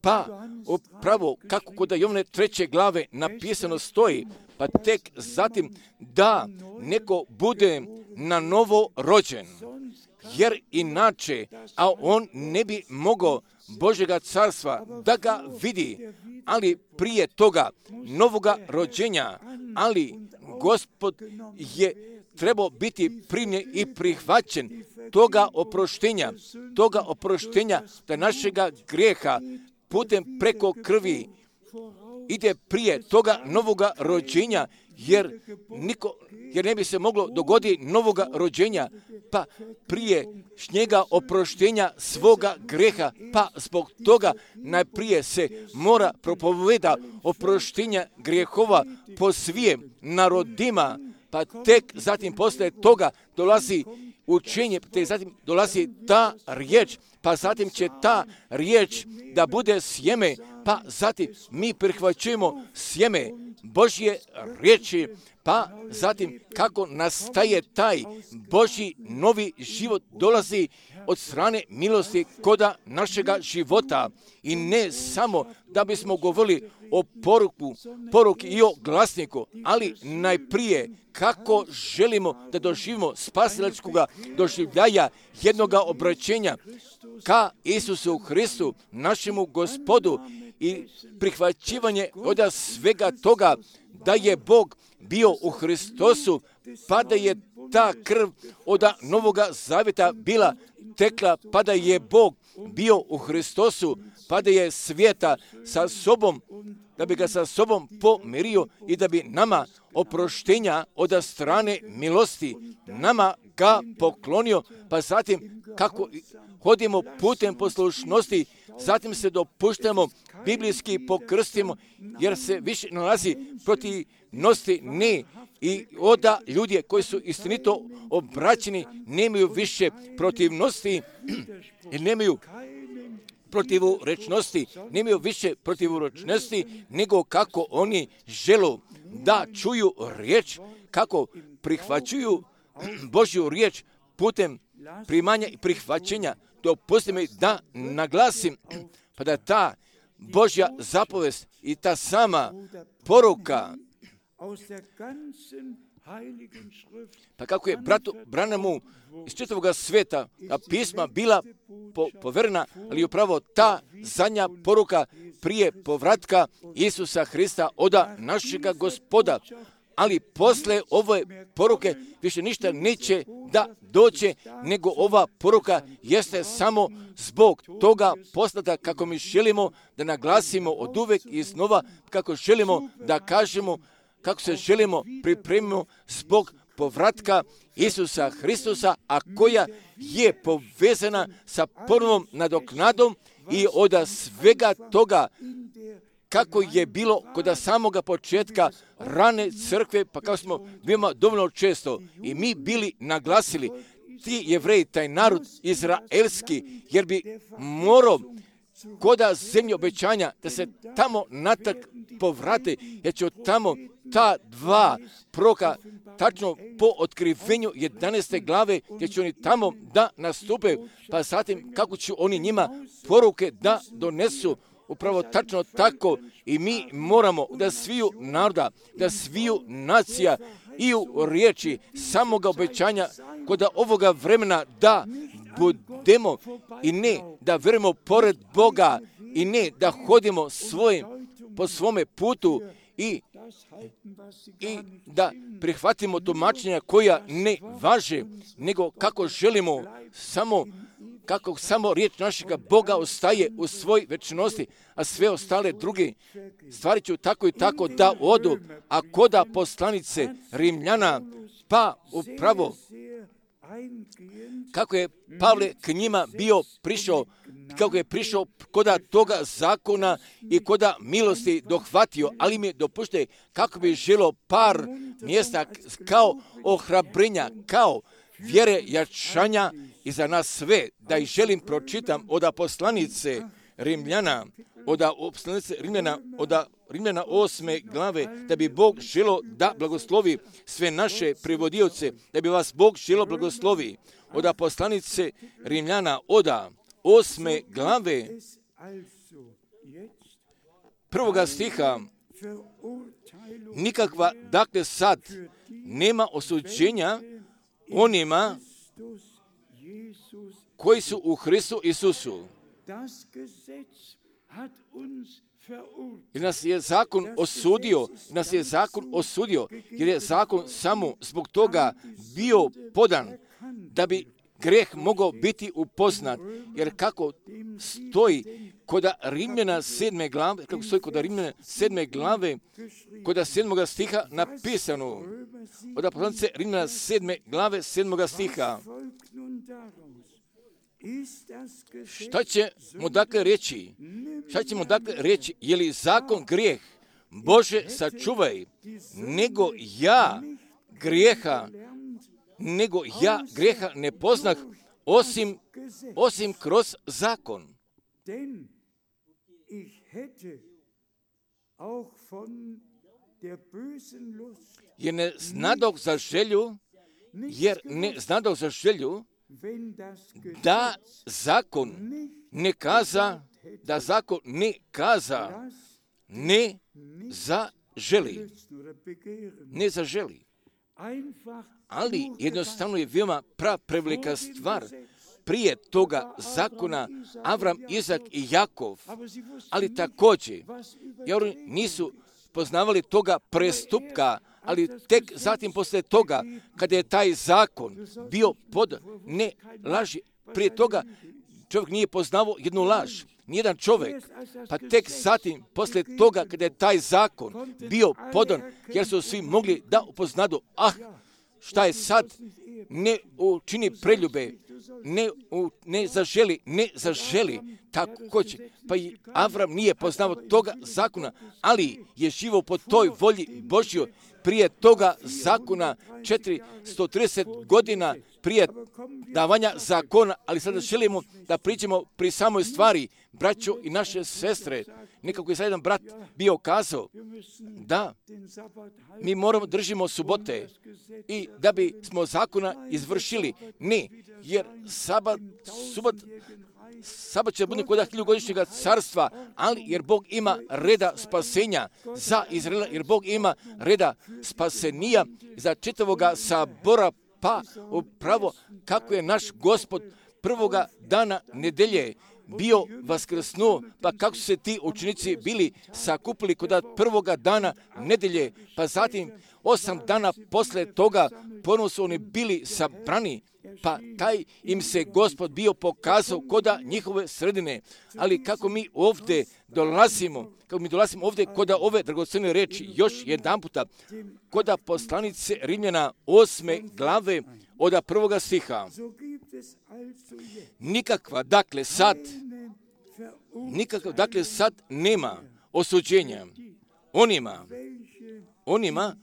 Pa upravo kako kod Jovane 3. glave napisano stoji, pa tek zatim da neko bude na novo rođen, jer inače, a on ne bi mogao Božjega carstva da ga vidi, ali prije toga novoga rođenja, ali Gospod je trebao biti primljen i prihvaćen toga oproštenja da našega grijeha putem preko krvi ide prije toga novoga rođenja, jer ne bi se moglo dogoditi novoga rođenja, pa prije njega oproštenja svoga greha, pa zbog toga najprije se mora propoveda oproštenja grehova po svijem narodima, pa tek zatim poslije toga dolazi učenje, te zatim dolazi ta riječ, pa zatim će ta riječ da bude sjeme, pa zatim mi prihvaćujemo sjeme Božje riječi, pa zatim kako nastaje taj Božji novi život dolazi od strane milosti koda našega života. I ne samo da bismo govorili o poruki i o glasniku, ali najprije kako želimo da doživimo spasilačkoga doživljaja jednoga obraćenja ka Isusu Hristu, našemu Gospodu, i prihvaćivanje od svega toga da je Bog bio u Hristosu, pa da je ta krv od Novoga Zavjeta bila tekla, pa da je Bog bio u Hristosu, pa da je svijeta sa sobom, da bi ga sa sobom pomirio i da bi nama oproštenja od strane milosti nama ga poklonio, pa zatim kako hodimo putem poslušnosti, zatim se dopuštamo, biblijski pokrstimo, jer se više nalazi protivnosti ne. I oda ljudi koji su istinito obraćeni nemaju više protivnosti i nemaju protivurečnosti, nemaju više protivurečnosti, nego kako oni žele da čuju riječ, kako prihvaćuju Božju riječ putem primanja i prihvaćenja. Dopustite mi da naglasim, pa da ta Božja zapovest i ta sama poruka, pa kako je bratu Branhamu iz čitavoga svijeta pisma bila poverena, ali upravo ta zadnja poruka prije povratka Isusa Hrista od našega Gospoda. Ali posle ove poruke više ništa neće da dođe, nego ova poruka jeste samo zbog toga poslata kako mi želimo da naglasimo od uvek i iznova, kako želimo da kažemo, kako se želimo pripremimo zbog povratka Isusa Hristusa, a koja je povezana sa ponovom nadoknadom i od svega toga kako je bilo kod samoga početka rane crkve, pa kako smo bili dovoljno često i mi bili naglasili ti Jevreji, taj narod izraelski, jer bi morao koda zemlje obećanja, da se tamo natrag povrate, jer će od tamo ta dva proroka tačno po otkrivenju 11. glave, gdje će oni tamo da nastupe, pa zatim kako će oni njima poruke da donesu. Upravo tačno tako i mi moramo da sviju naroda, da sviju nacija i u riječi samoga obećanja kod ovoga vremena da budemo i ne da verujemo pored Boga i ne da hodimo po svome putu i da prihvatimo tumačenja koja ne važe, nego kako želimo kako samo riječ našega Boga ostaje u svoj večnosti, a sve ostale druge stvari će tako i tako da odu, a koda poslanice Rimljana, pa upravo kako je Pavle k njima bio prišao, kako je prišao koda toga zakona i koda milosti dohvatio, ali mi dopušte kako bi želo par mjesta kao ohrabrenja, kao vjere jačanja i za nas sve, da ih želim pročitam od poslanice Rimljana, od Rimljana 8. glave, da bi Bog želo da blagoslovi sve naše prevodioce, da bi vas Bog želo blagoslovi. Od poslanice Rimljana, od 8. glave, 1. stiha, nikakva, dakle sad, nema osuđenja onima koji su u Hristu Isusu. Jer nas je zakon osudio, jer je zakon samo zbog toga bio podan, da bi greh mogao biti upoznat. Jer kako stoji kod Rimljana 7. glave, kod 7. stiha napisano, od poslanice Rimljana 7. glave 7. stiha. Šta ćemo dakle reći? Je li zakon grijeh? Bože, sačuvaj, nego ja grijeha ne poznah osim kroz zakon. Jer ne znadoh za želju, da zakon ne kaza, ne zaželi. Ali jednostavno je veoma prevelika stvar. Prije toga zakona Avram, Izak i Jakov, ali također, jer oni nisu poznavali toga prestupka, ali tek zatim poslije toga, kada je taj zakon bio pod ne laži, prije toga čovjek nije poznavao jednu laž, nijedan čovjek, pa tek zatim poslije toga, kada je taj zakon bio podan, jer su svi mogli da upoznadu, šta je sad, ne učini preljube, ne zaželi, tako će. Pa i Avram nije poznavao toga zakona, ali je živio po toj volji Božjoj prije toga zakona 430 godina prije davanja zakona, ali sada želimo da pričamo pri samoj stvari, braćo i naše sestre. Nekako je sad jedan brat bio kazao da mi moramo držimo subote i da bi smo zakona izvršili. Ne, jer sabat će biti kod 1000-godišnjega carstva, ali jer Bog ima reda spasenja za Izraela, jer Bog ima reda spasenija za čitavoga sabora, pa upravo kako je naš Gospod prvoga dana nedelje bio vaskrsnuo, pa kako su se ti učenici bili sakupili kod prvoga dana nedelje, pa zatim 8 dana posle toga ponovno su oni bili sabrani, pa taj im se Gospod bio pokazao koda njihove sredine. Ali kako mi ovdje dolazimo ovdje koda ove dragocjene reči, još jedan puta, koda poslanice Rimljana 8. glave od 1. stiha. Nikakva, dakle sad nema osuđenja onima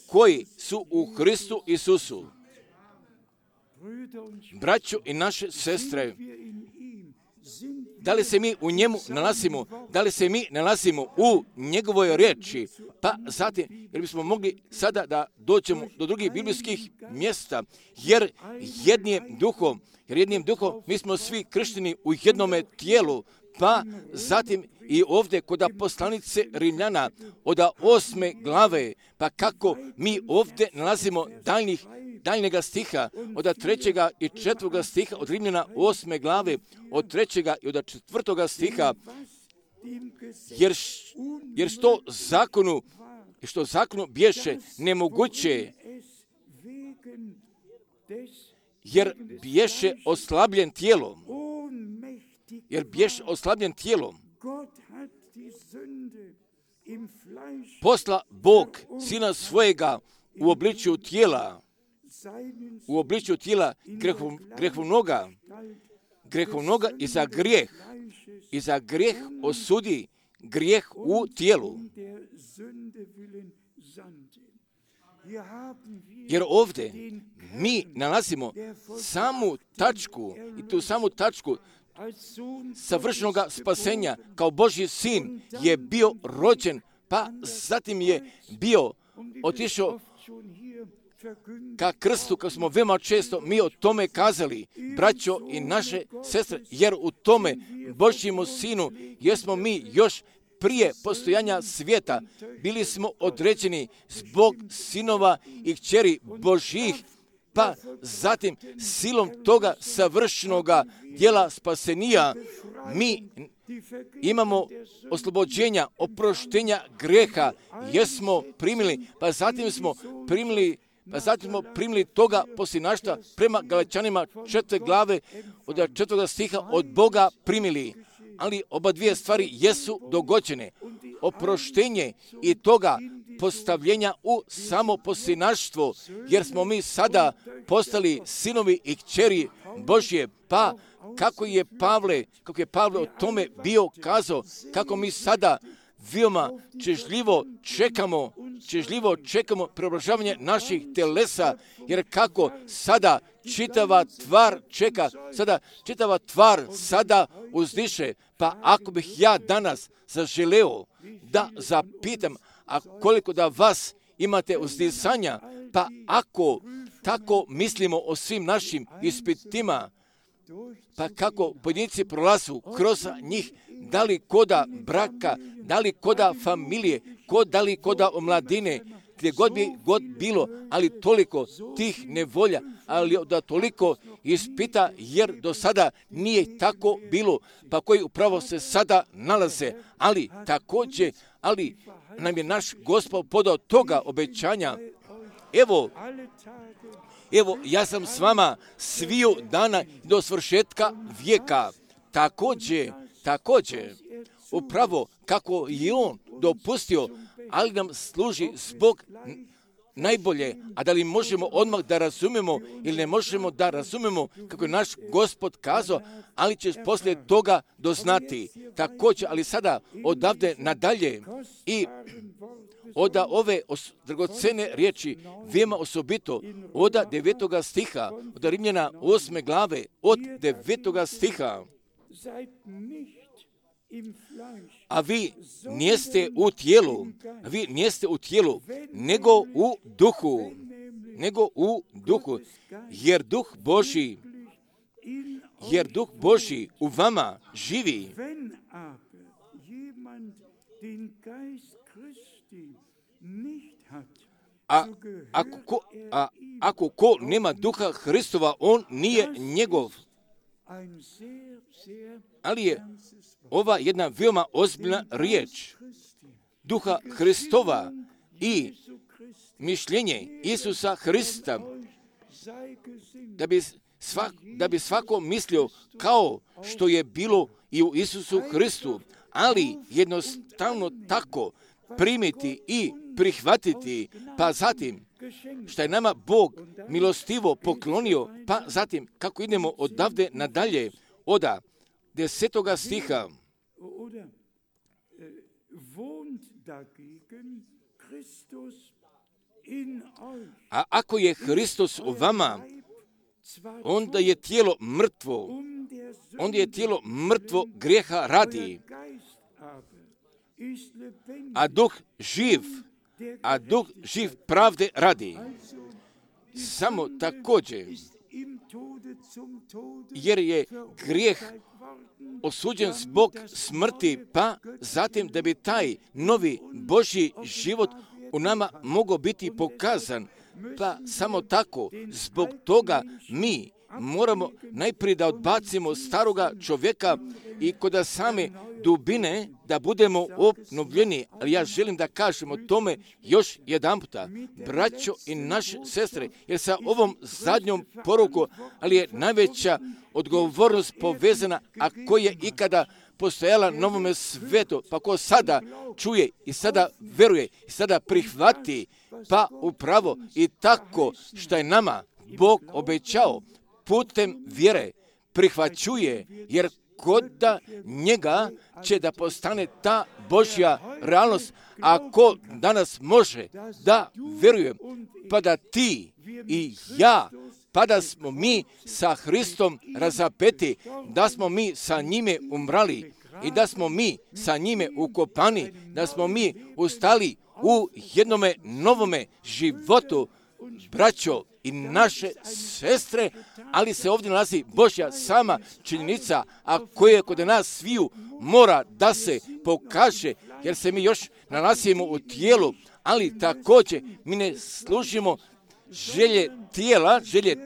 koji su u Hristu Isusu. braćo i naše sestre, da li se mi u njemu nalazimo, da li se mi nalazimo u njegovoj riječi, pa zatim, jer bismo mogli sada da dođemo do drugih biblijskih mjesta, jer jednim duhom mi smo svi kršteni u jednome tijelu, pa zatim i ovdje kod poslanice Rimljana od 8. glave, pa kako mi ovdje nalazimo daljnjega stiha, od 3. i 4. stiha od Rimljana 8. glave, od 3. i od 4. stiha, jer što zakonu bješe nemoguće, jer bješe oslabljen tijelom, posla Bog sina svojega u obličju tijela grehovnoga i za grijeh osudi grijeh u tijelu. Jer ovdje mi nalazimo samu tačku, i tu samu tačku savršenog spasenja, kao Božji sin je bio rođen, pa zatim je bio otišao ka krstu, kao smo veoma često mi o tome kazali, braćo i naše sestre, jer u tome Božjemu sinu jesmo mi još prije postojanja svijeta, bili smo određeni zbog sinova i kćeri Božjih, pa zatim silom toga savršenoga djela spasenija mi imamo oslobođenja, oproštenja greha, jesmo primili, pa zatim smo primili toga posljednaštva prema Galačanima 4. glave od 4. stiha od Boga primili. Ali oba dvije stvari jesu dogođene. Oproštenje i toga postavljenja u samo posljednaštvo, jer smo mi sada postali sinovi i kćeri Božje. Pa kako je Pavle o tome bio kazao, kako mi sada veoma čežljivo čekamo preobražavanje naših telesa, jer kako sada čitava tvar sada uzdiše. Pa ako bih ja danas zaželeo da zapitam, a koliko da vas imate uzdisanja, pa ako tako mislimo o svim našim ispitima, pa kako pojedinci prolazu kroz njih, da li koda braka, da li koda familije, da li koda omladine, gdje god bi bilo, ali toliko tih nevolja, ali da toliko ispita, jer do sada nije tako bilo, pa koji upravo se sada nalaze, ali također, nam je naš Gospod podao toga obećanja. Evo, ja sam s vama sviju dana do svršetka vijeka. Također, upravo kako je on dopustio, ali nam služi zbog najbolje, a da li možemo odmah da razumemo ili ne možemo da razumemo kako je naš Gospod kazao, ali ćeš poslije toga doznati. Također, ali sada odavde nadalje i od ove dragocene riječi, veoma osobito, od 9. stiha, od Rimljana 8. glave, od 9. stiha. A vi nijeste u tijelu, nego u duhu, jer Duh Božji u vama živi. Ako ko nema Duha Hristova, on nije njegov. Ali je ova jedna veoma ozbiljna riječ Duha Hristova i mišljenje Isusa Hrista, da bi svako mislio kao što je bilo i u Isusu Hristu, ali jednostavno tako primiti i prihvatiti, pa zatim što je nama Bog milostivo poklonio, pa zatim kako idemo odavde nadalje od 10. stiha. A ako je Hristos u vama, onda je tijelo mrtvo. Onda je tijelo mrtvo grijeha radi, a duh živ pravde radi. Samo također, jer je grijeh osuđen zbog smrti, pa zatim da bi taj novi Božji život u nama mogao biti pokazan, pa samo tako, zbog toga mi moramo najprije da odbacimo staroga čovjeka i kod same dubine da budemo obnovljeni. Ali ja želim da kažem o tome još jedan puta, braćo i naše sestre, jer sa ovom zadnjom porukom, ali je najveća odgovornost povezana, a koja je ikada postojala na ovome svetu, pa ko sada čuje i sada veruje i sada prihvati, pa upravo i tako što je nama Bog obećao, putem vjere prihvaćuje, jer kod njega će da postane ta Božja realnost. Ako danas može da vjeruje, pa da ti i ja, pa da smo mi sa Hristom razapeti, da smo mi sa njime umrali i da smo mi sa njime ukopani, da smo mi ustali u jednome novome životu, braćo i naše sestre, ali se ovdje nalazi Božja sama činjenica, a koja kod nas sviju mora da se pokaže, jer se mi još nalazimo u tijelu, ali također mi ne služimo želje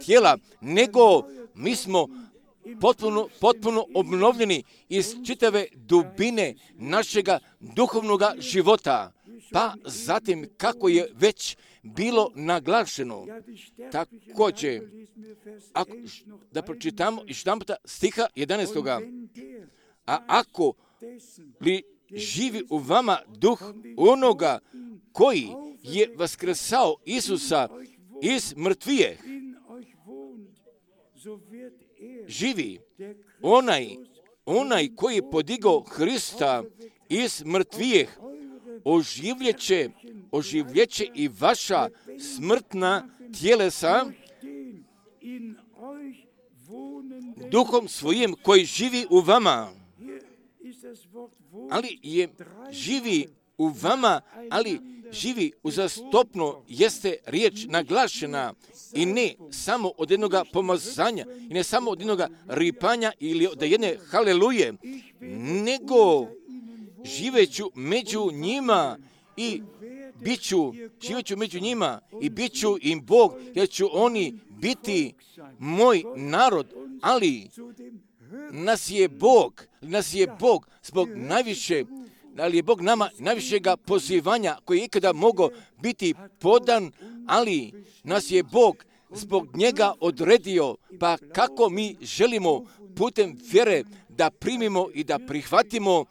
tijela, nego mi smo potpuno obnovljeni iz čitave dubine našega duhovnoga života. Pa zatim, kako je već bilo naglašeno, također, da pročitamo još jedan puta stiha 11. A ako li živi u vama duh onoga koji je vaskrsao Isusa iz mrtvijeh, živi onaj koji je podigao Hrista iz mrtvijeh, oživljeće i vaša smrtna tjelesa duhom svojim koji živi u vama. Ali je živi u vama, ali živi uzastopno, jeste riječ naglašena i ne samo od jednoga pomazanja i ne samo od jednoga ripanja ili od jedne haleluje, nego živeću među njima i bit ću im Bog, jer ću oni biti moj narod, ali nas je Bog zbog najviše, ali je Bog nama najvišega pozivanja koji je ikada mogao biti podan, ali nas je Bog zbog njega odredio, pa kako mi želimo putem vjere da primimo i da prihvatimo,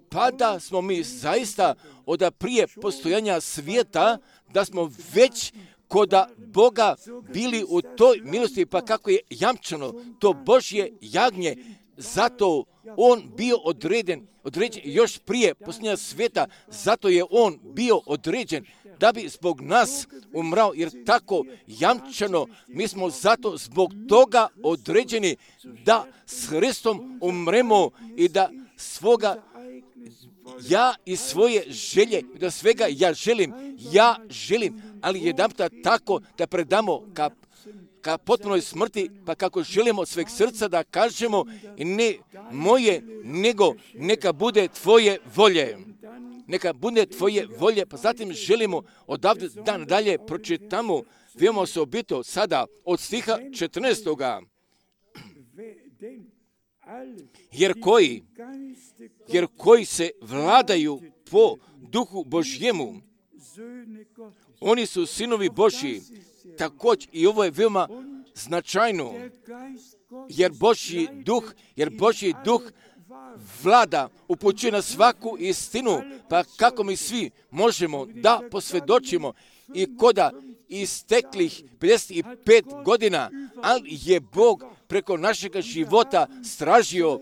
pa da smo mi zaista od prije postojanja svijeta, da smo već kod Boga bili u toj milosti, pa kako je jamčeno to Božje jagnje, zato on bio određen još prije postojanja svijeta, zato je on bio određen da bi zbog nas umrao, jer tako jamčeno mi smo zato zbog toga određeni da s Hristom umremo i da svoga ja i svoje želje, da svega ja želim, ali jedanputa tako da predamo ka potpunoj smrti, pa kako želimo od sveg srca da kažemo ne moje, nego neka bude tvoje volje. Neka bude tvoje volje, pa zatim želimo odavde dan dalje pročitamo veoma osobito sada od stiha 14. Jer koji se vladaju po duhu Božjemu, oni su sinovi Božji. Također i ovo je veoma značajno, jer Božji duh vlada, upućuje na svaku istinu, pa kako mi svi možemo da posvjedočimo i koda isteklih 55 godina, ali je Bog preko našega života stražio,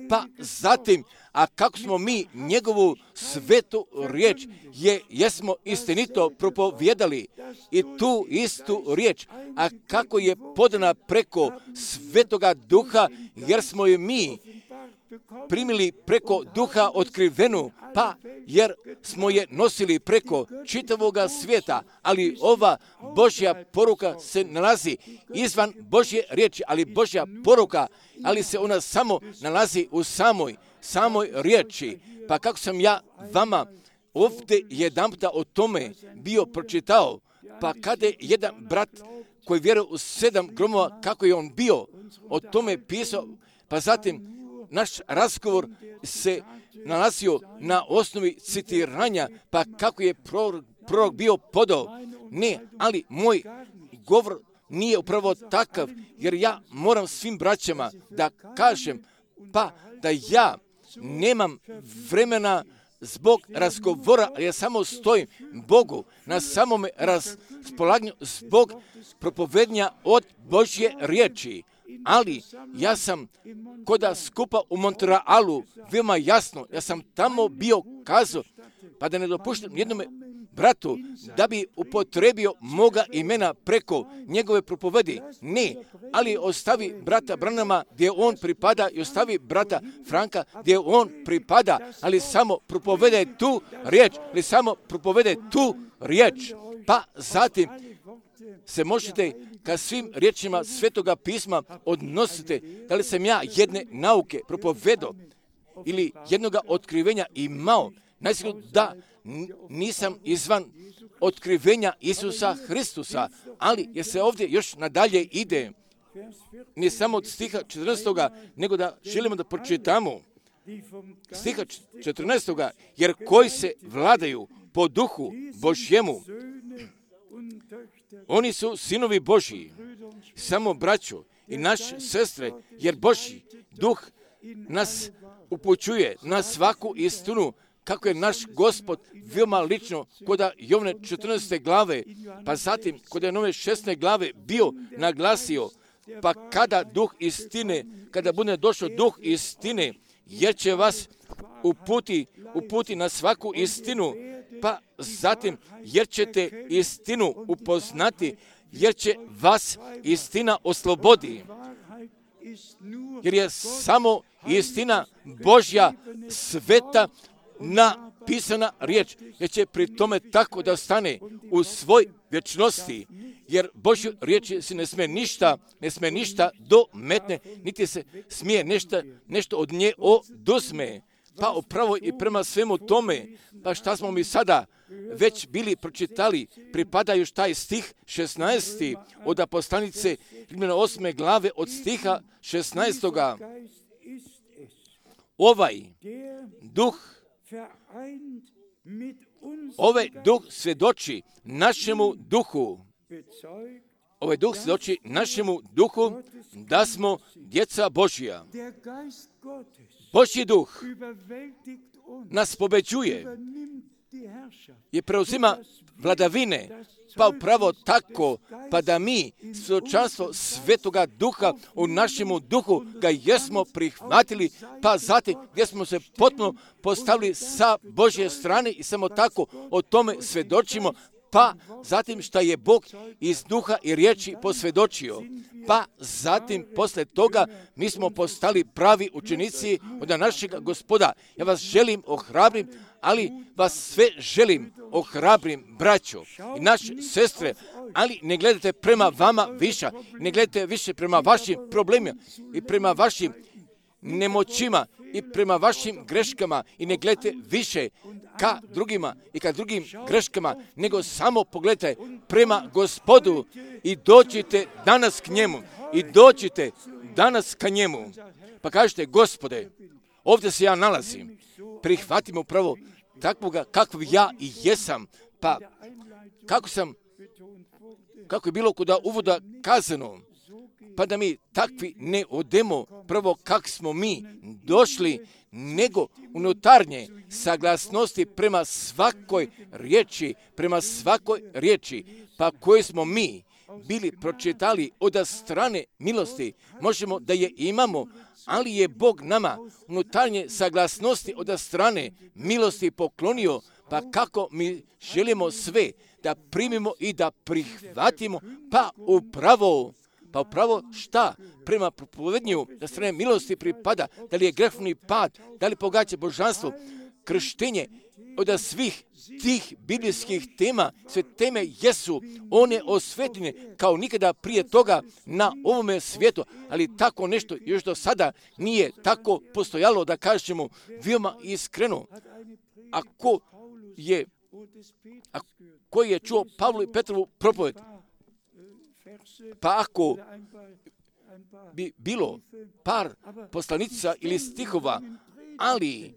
Pa zatim, a kako smo mi njegovu svetu riječ jesmo istinito propovjedali i tu istu riječ, a kako je podana preko Svetoga Duha, jer smo je mi primili preko Duha otkrivenu, pa jer smo je nosili preko čitavoga svijeta, ali ova Božja poruka se nalazi izvan Božje riječi, ali Božja poruka, ali se ona samo nalazi u samoj riječi. Pa kako sam ja vama ovdje jedanputa o tome bio pročitao, pa kada je jedan brat koji vjeruje u 7 gromova, kako je on bio o tome pisao, pa zatim naš razgovor se nalazio na osnovi citiranja, pa kako je prorok bio podao. Ne, ali moj govor nije upravo takav, jer ja moram svim braćama da kažem, pa da ja nemam vremena zbog razgovora, ali ja samo stojim Bogu na samome raspolaganju zbog propovednja od Božje riječi. Ali ja sam koda skupa u Montrealu veoma jasno, ja sam tamo bio kazao, pa da ne dopuštam jednome bratu da bi upotrebio moga imena preko njegove propovedi. Ne, ali ostavi brata Branama gdje on pripada i ostavi brata Franka gdje on pripada, ali samo propovede tu riječ, pa zatim se možete ka svim riječima Svetoga pisma odnosite. Da li sam ja jedne nauke propovedao ili jednoga otkrivenja imao? Najsigurno da nisam izvan otkrivenja Isusa Hristusa, ali jer se ovdje još nadalje ide, ne samo od stiha 14. nego da želimo da pročitamo stiha 14. jer koji se vladaju po duhu Božjemu, oni su sinovi Božji. Samo braćo i naše sestre, jer Božji duh nas upućuje na svaku istinu, kako je naš Gospod veoma lično kod Jovne 14. glave, pa zatim kod Nove 16. glave bio naglasio, pa kada duh istine, kada bude došao duh istine, jer će vas uputi na svaku istinu, pa zatim jer ćete istinu upoznati, jer će vas istina oslobodi. Jer je samo istina Božja sveta napisana riječ, jer će pri tome tako da stane u svoj vječnosti, jer Božju riječ se ne smije ništa dometne, niti se smije nešto od nje oduzme. Pa upravo i prema svemu tome, pa šta smo mi sada već bili pročitali, pripada još taj stih 16. od poslanice 8. glave od stiha 16. Ovaj duh svjedoči našemu duhu. Ovaj duh svjedoči našemu duhu da smo djeca Božja. Božji duh nas pobeđuje i preuzima vladavine, pa upravo tako, pa da mi svjedočanstvo Svetoga Duha u našemu duhu ga jesmo prihvatili, pa zatim gdje smo se potpuno postavili sa Božje strane i samo tako o tome svjedočimo, pa zatim šta je Bog iz duha i riječi posvjedočio. Pa zatim posle toga mi smo postali pravi učenici od našeg Gospoda. Ja vas želim ohrabrim, ali vas sve želim ohrabrim, braćo i naše sestre, ali ne gledajte prema vama više, ne gledajte više prema vašim problemima i prema vašim nemoćima i prema vašim greškama i ne gledajte više ka drugima i ka drugim greškama, nego samo pogledajte prema Gospodu i dođite danas k njemu i dođite danas ka njemu. Pa kažete, Gospode, ovdje se ja nalazim, prihvatim upravo takvoga kakv ja i jesam, pa kako je bilo kod uvoda kazano, pa da mi takvi ne odemo prvo kak smo mi došli, nego unutarnje saglasnosti prema svakoj riječi, pa koji smo mi bili pročitali od strane milosti, možemo da je imamo, ali je Bog nama unutarnje saglasnosti od strane milosti poklonio, pa kako mi želimo sve da primimo i da prihvatimo, pa upravo šta prema propovednju da strane milosti pripada, da li je grehovni pad, da li pogađa božanstvo, krštenje, od svih tih biblijskih tema, sve teme jesu one osvetljene kao nikada prije toga na ovome svijetu, ali tako nešto još do sada nije tako postojalo, da kažemo veoma iskreno. Ako je čuo Pavlu i Petrovu propoved, pa ako bi bilo par poslanica ili stihova, ali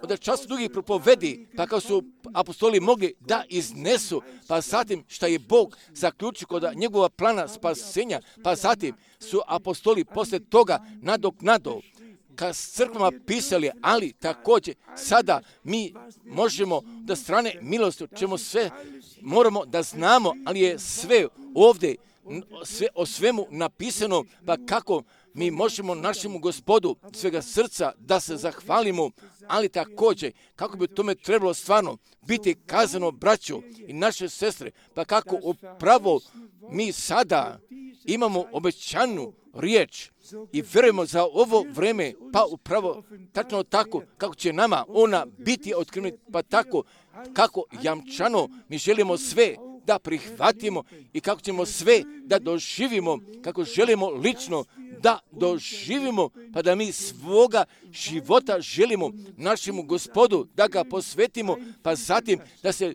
od času drugih propovedi, pa kao su apostoli mogli da iznesu, pa zatim šta je Bog zaključio kod njegova plana spasenja, pa zatim su apostoli posle toga nadoknado ka crkvama pisali, ali također sada mi možemo da strane milosti, čemu sve moramo da znamo, ali je sve ovdje, sve o svemu napisano, pa kako mi možemo našemu Gospodu svega srca da se zahvalimo, ali također kako bi tome trebalo stvarno biti kazano, braćo i naše sestre, pa kako upravo mi sada imamo obećanu riječ i vjerujemo za ovo vreme, pa upravo tačno tako kako će nama ona biti otkrivena, pa tako kako jamčano mi želimo sve da prihvatimo i kako ćemo sve da doživimo, kako želimo lično da doživimo, pa da mi svoga života želimo našemu Gospodu, da ga posvetimo, pa zatim da se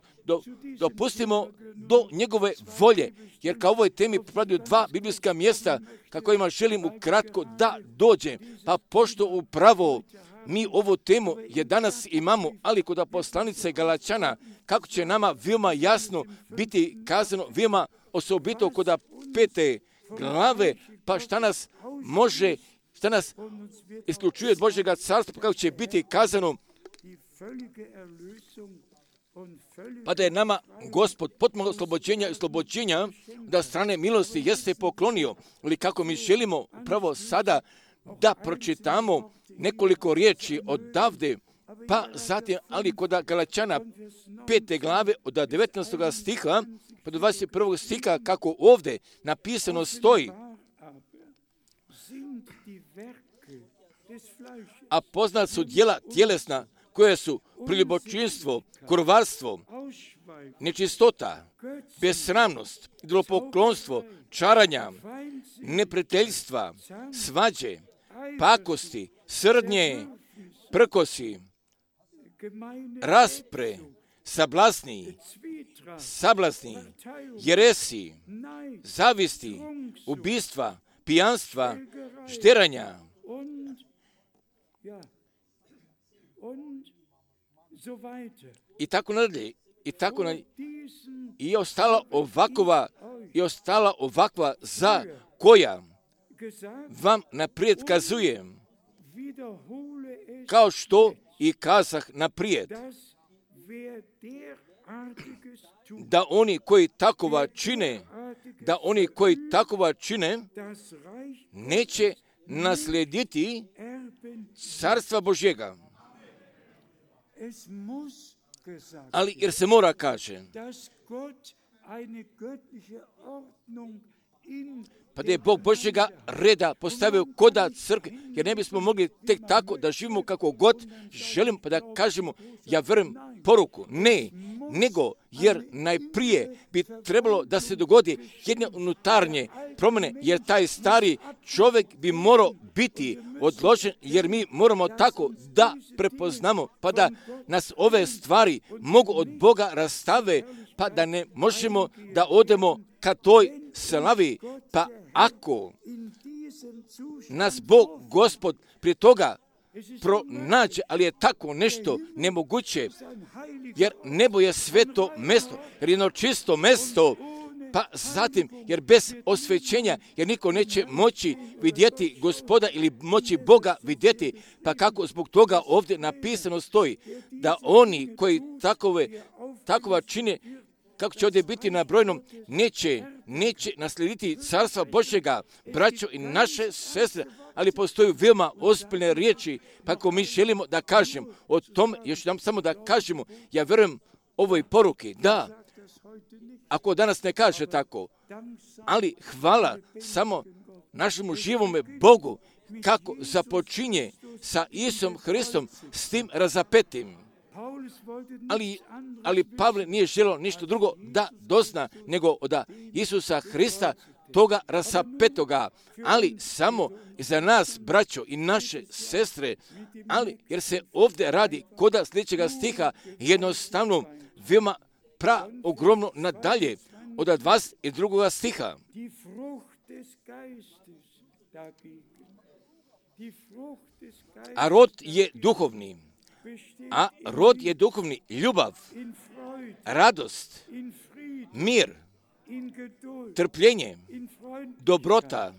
dopustimo do njegove volje. Jer kao ovoj temi pripadaju dva biblijska mjesta ka kojima želim ukratko da dođem. Pa pošto upravo mi ovu temu je danas imamo, ali kod poslanice Galačana, kako će nama veoma jasno biti kazano, veoma osobito kod 5. glave, pa šta nas isključuje od Božjega carstva, pa kako će biti kazano, pa da je nama Gospod potpuno oslobođenja da strane milosti jeste poklonio, ali kako mi želimo upravo sada da pročitamo nekoliko riječi odavde, pa zatim, ali kod Galačana 5. glave od 19. stiha pa do 21. stiha, kako ovdje napisano stoji, a poznat su djela tjelesna, koje su priljubočinstvo, kurvarstvo, nečistota, besramnost, idolopoklonstvo, čaranja, neprijateljstva, svađe, pakosti, srdnje, prkosi, raspre, sablasni, jeresi, zavisti, ubistva, pijanstva, šteranja i tako nadalje. I ostala ovakva za koja vam naprijed kazujem, kao što i kazah naprijed, da oni koji takova čine, neće naslijediti carstva Božjega. Ali jer se mora kaže, pa da je Bog Božjega reda postavio koda crkve, jer ne bismo mogli tek tako da živimo kako god želimo, pa da kažemo, ja vjerujem poruku. Ne, nego jer najprije bi trebalo da se dogodi jedne unutarnje promjene, jer taj stari čovjek bi morao biti odložen, jer mi moramo tako da prepoznamo, pa da nas ove stvari mogu od Boga rastave, pa da ne možemo da odemo ka toj slavi, pa ako nas Bog, Gospod, prije toga pronađe, ali je tako nešto nemoguće, jer nebo je sveto mesto, jer jedno čisto mesto, pa zatim, jer bez osvećenja, jer niko neće moći vidjeti Gospoda ili moći Boga vidjeti, pa kako zbog toga ovdje napisano stoji, da oni koji takova čine, kako će ovdje biti nabrojeno, neće naslijediti carstva Božjega, braćo i naše sestre, ali postoji veoma ozbiljne riječi, pa ako mi želimo da kažemo o tom, još nam samo da kažemo, ja vjerujem ovoj poruki, da, ako danas ne kaže tako, ali hvala samo našemu živome Bogu, kako započinje sa Isusom Hristom, s tim razapetim. Ali Pavle nije želio ništa drugo da dozna, nego od Isusa Hrista, toga rasapetoga, ali samo za nas, braćo i naše sestre, ali jer se ovdje radi kod sljedećega stiha jednostavno veoma ogromno nadalje od 22. stiha. A rod je duhovni. A rod je duhovni ljubav, radost, mir, trpljenje, dobrota,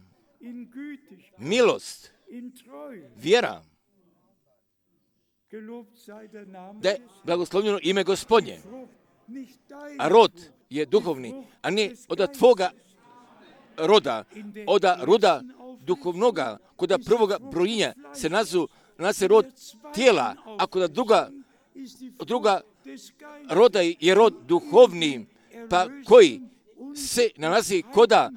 milost, vjera. Da je blagoslovljeno ime Gospodnje. A rod je duhovni, a ne od tvoga roda, od roda duhovnoga, kod prvoga brojinja se naziva rod tijela, a kod druga roda je rod duhovni, pa koji se nalazi koda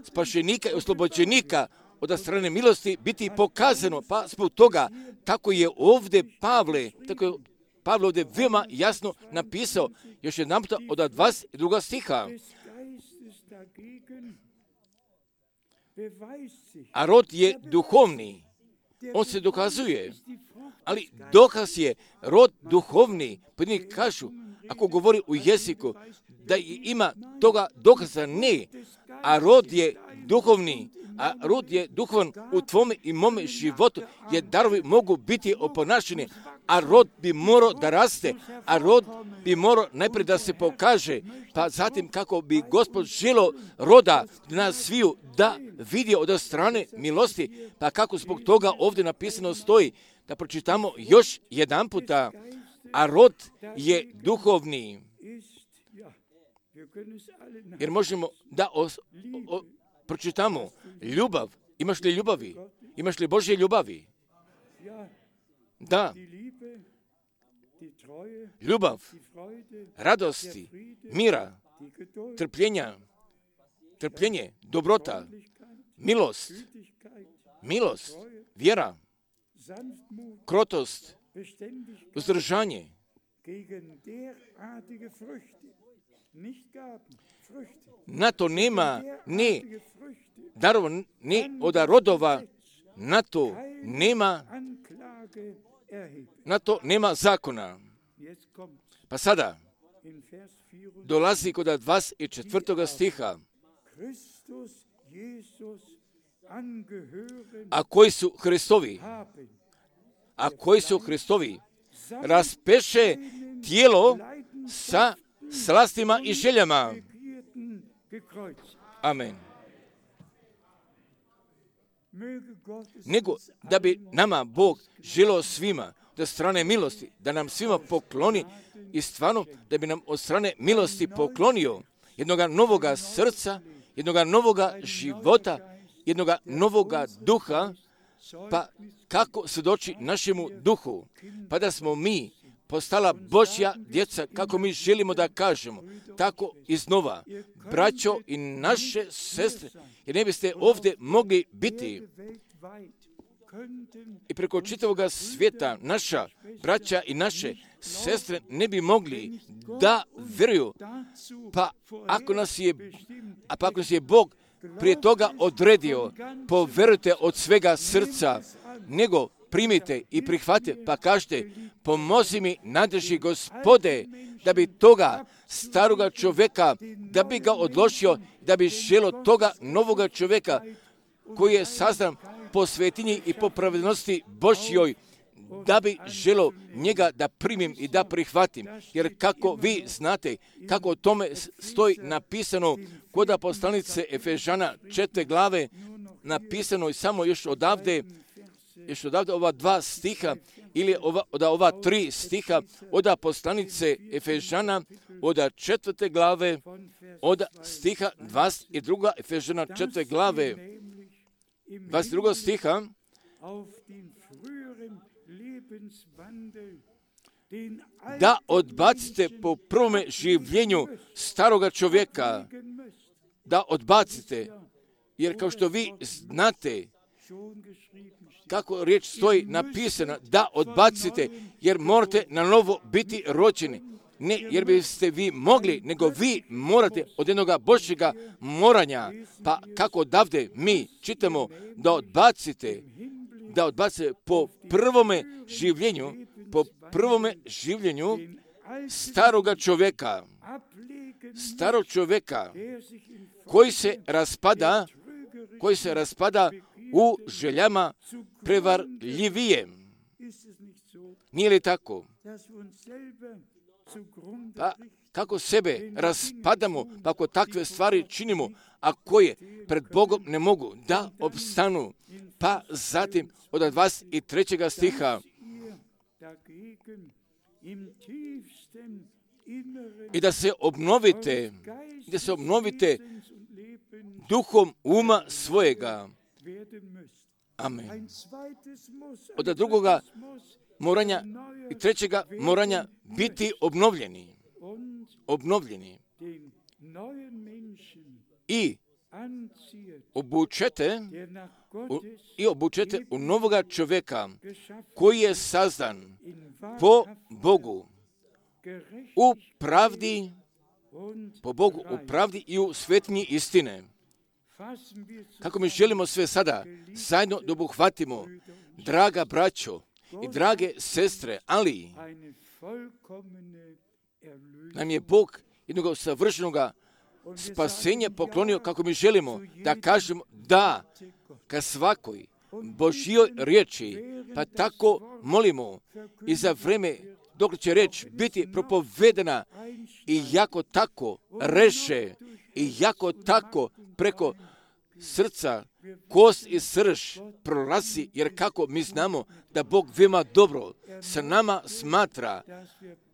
spašenika i oslobođenika od strane milosti biti pokazano, pa zbog toga tako je ovdje Pavle ovdje veoma jasno napisao, još jedan puta od 22. stiha. A rod je duhovni, on se dokazuje, ali dokaz je rod duhovni, pojedini kažu, ako govori u jeziku, da ima toga dokaza, ne, a rod je duhovni, a rod je duhovan u tvome i mome životu, jer darovi mogu biti oponašeni, a rod bi morao da raste, a rod bi morao najprije da se pokaže, pa zatim kako bi Gospod želio roda nas sviju da vidi od strane milosti, pa kako zbog toga ovdje napisano stoji, da pročitamo još jedan puta, a rod je duhovni. Jer možemo da pročitamo ljubav. Imaš li ljubavi? Imaš li Božje ljubavi? Da. Ljubav, radosti, mira, trpljenje, dobrota, milost, vjera, krotost, uzdržanje. Na to nema ni darova, ni od rodova, na to nema zakona. Pa sada dolazi kod 24. stiha. A koji su Hristovi, raspeše tijelo sa slastima i željama. Amen. Nego da bi nama Bog želio svima od strane milosti, da nam svima pokloni i stvarno da bi nam od strane milosti poklonio jednoga novoga srca, jednoga novoga života, jednoga novoga duha, pa kako svjedoči našemu duhu, pa da smo mi postala Božja djeca, kako mi želimo da kažemo, tako iznova, braćo i naše sestre, jer ne biste ovdje mogli biti i preko čitavoga svijeta naša braća i sestre ne bi mogli da vjeruju, pa ako nas je Bog prije toga odredio, povjerujte od svega srca, nego primite i prihvatite, pa kažete, pomozi mi, nadrži Gospode, da bi toga staroga čovjeka, da bi ga odložio, da bi želio toga novoga čovjeka, koji je sazdan po svetinji i po pravednosti Božjoj, da bi želio njega da primim i da prihvatim. Jer kako vi znate, kako o tome stoji napisano kod poslanice Efežana 4. glave, napisano je samo još odavde još odavde ova 2 stiha ili od ova 3 stiha od poslanice Efežana od 4. glave od stiha 22. Efežana 4. glave 22. stiha da odbacite po prvome življenju staroga čovjeka, da odbacite, jer kao što vi znate kako riječ stoji napisana, da odbacite, jer morate na novo biti rođeni. Ne jer biste vi mogli, nego vi morate od jednoga Božjega moranja. Pa kako odavde mi čitamo da odbacite po prvome življenju staroga čovjeka koji se raspada u željama prevarljivije. Nije li tako? Pa kako sebe raspadamo, pa ako takve stvari činimo, a koje pred Bogom ne mogu da opstanu. Pa zatim od 23. stiha i da se obnovite duhom uma svojega. Amen. Od drugoga moranja i trećega moranja biti obnovljeni i obučete u novoga čovjeka koji je sazdan po Bogu u pravdi, u pravdi i u svetinji istine. Kako mi želimo sve sada zajedno da obuhvatimo, draga braćo i drage sestre, ali nam je Bog jednog savršenog spasenja poklonio, kako mi želimo da kažemo da ka svakoj Božjoj riječi, pa tako molimo i za vreme dok će reč biti propovedana i jako tako reše i jako tako preko srca, kost i srž prolazi, jer kako mi znamo da Bog veoma dobro sa nama smatra,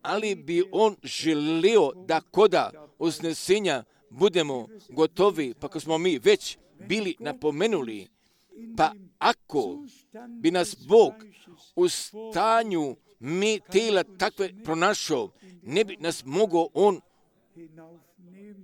ali bi On želio da koda uznesenja budemo gotovi, pa ako smo mi već bili napomenuli, pa ako bi nas Bog u stanju mi tijela takve pronašao, ne bi nas mogao On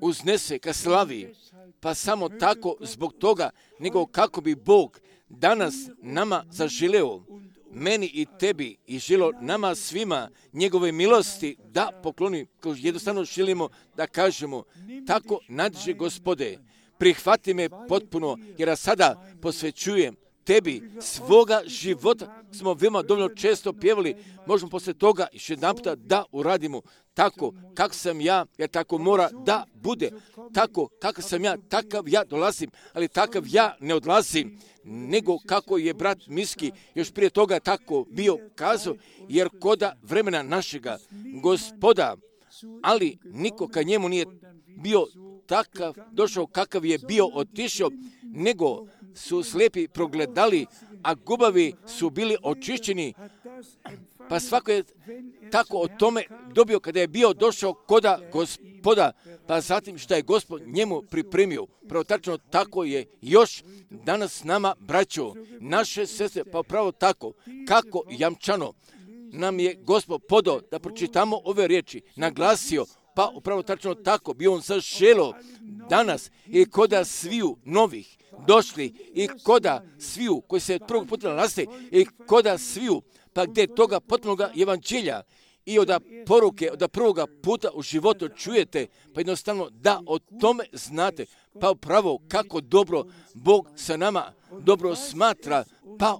uznese ka slavi, pa samo tako zbog toga, nego kako bi Bog danas nama zaželeo, meni i tebi i želio nama svima njegove milosti da pokloni, kao jednostavno želimo da kažemo, tako nadže Gospode, prihvati me potpuno, jer ja sada posvećujem tebi svoga života. Smo veoma dovoljno često pjevali, možemo poslije toga još jedan puta da uradimo tako kako sam ja, jer tako mora da bude. Tako kakav sam ja, takav ja dolazim, ali takav ja ne odlazim, nego kako je brat Miski još prije toga tako bio kazao, jer koda vremena našega Gospoda, ali niko ka njemu nije bio takav, došao kakav je bio otišao, nego su slijepi progledali, a gubavi su bili očišćeni. Pa svako je tako o tome dobio kada je bio došao koda Gospoda, pa zatim što je Gospod njemu pripremio. Pravo tačno tako je još danas s nama, braćo, naše sestre, pa pravo tako, kako jamčano nam je Gospod podao da pročitamo ove riječi, naglasio, pa upravo tačno tako bi On zaželio danas i koda sviju novih došli i koda sviju koji se prvog puta nalaze i koda sviju, pa gdje toga potpunoga evanđelja i od poruke, od prvoga puta u životu čujete, pa jednostavno da o tome znate, pa upravo kako dobro Bog sa nama dobro smatra, pa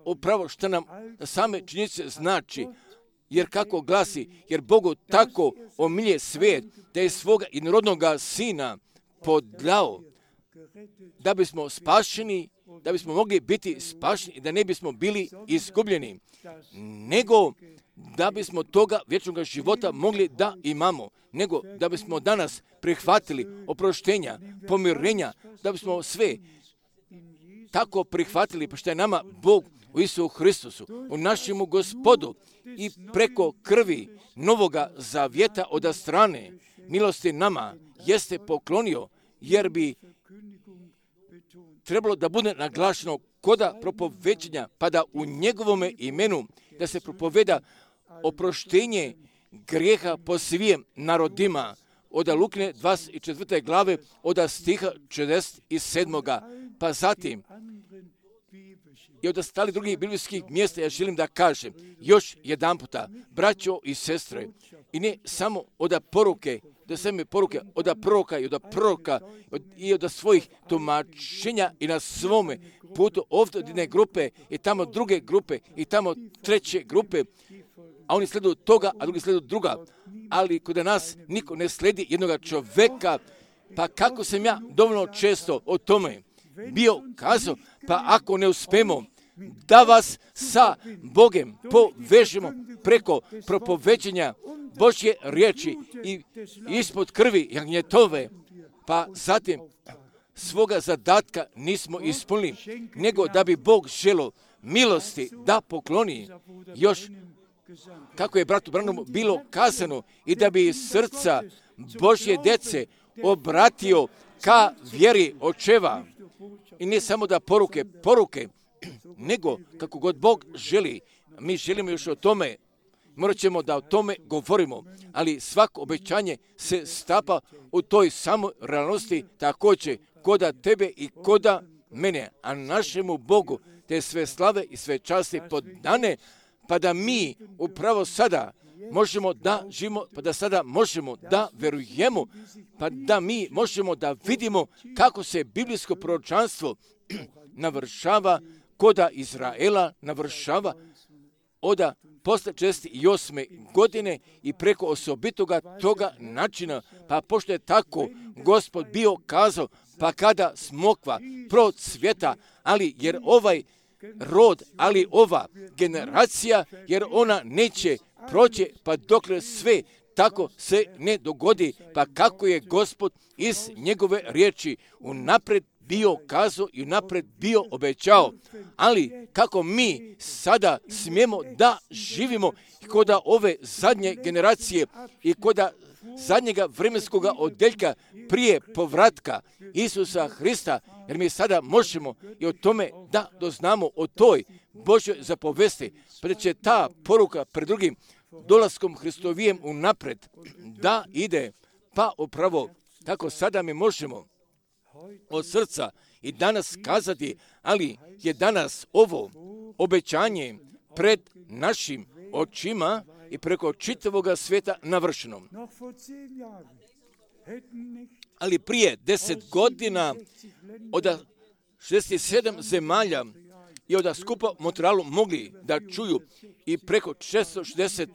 upravo što nam same činjenice znači. Jer kako glasi, jer Bogu tako omilje svijet, da je svoga jednorodnoga sina podao, da bismo spašeni, da bismo mogli biti spašeni i da ne bismo bili izgubljeni, nego da bismo toga vječnog života mogli da imamo, nego da bismo danas prihvatili oproštenja, pomirenja, da bismo sve tako prihvatili, pa što je nama Bog u Isusu Hristusu, u našemu Gospodu i preko krvi Novoga Zavjeta od strane milosti nama jeste poklonio, jer bi trebalo da bude naglašeno koda propoveđenja, pa da u njegovome imenu da se propoveda oproštenje grijeha po svim narodima, od Lukine 24. glave, od stiha 47. Pa zatim, i od ostalih drugih biblijskih mjesta, ja želim da kažem još jedan puta, braćo i sestre, i ne samo od poruke, da same poruke od proroka i od proroka i od svojih tumačenja i na svome putu ovdje od jedne grupe i tamo druge grupe i tamo treće grupe, a oni sleduju toga, a drugi sleduju druga. Ali kod nas niko ne sledi jednoga čoveka, pa kako sam ja dovoljno često o tome bio kazao, pa ako ne uspemo da vas sa Bogem povežemo preko propoveđenja Božje riječi i ispod krvi jagnjetove, pa zatim svoga zadatka nismo ispunili, nego da bi Bog želio milosti da pokloni još, kako je bratu Branhamu bilo kazano, i da bi srca Božje djece obratio ka vjeri očeva. I ne samo da poruke, nego kako god Bog želi. Mi želimo još o tome, morat ćemo da o tome govorimo, ali svako obećanje se stapa u toj samoj realnosti, također koda tebe i koda mene, a našemu Bogu te sve slave i sve časti podane, pa da mi upravo sada možemo da živimo, pa da sada možemo da verujemo, pa da mi možemo da vidimo kako se biblijsko proročanstvo navršava koda Izraela, navršava od posle 48. godine i preko osobitoga toga načina, pa pošto je tako Gospod bio kazao, pa kada smokva procvjeta, ali jer ovaj rod, ali ova generacija, jer ona neće proći, pa dokle sve tako se ne dogodi, pa kako je Gospod iz njegove riječi unapred bio kazao i unapred bio obećao, ali kako mi sada smijemo da živimo koda ove zadnje generacije i koda zadnjega vremenskoga odeljka prije povratka Isusa Hrista, jer mi sada možemo i o tome da doznamo o toj Božoj zapovesti, pa da će ta poruka pred drugim dolaskom Hristovijem unapred da ide, pa upravo tako sada mi možemo od srca i danas kazati, ali je danas ovo obećanje pred našim očima i preko čitavoga svijeta navršeno. Ali prije 10 godina od 67 zemalja i od skupa u Montrealu mogli da čuju i preko 660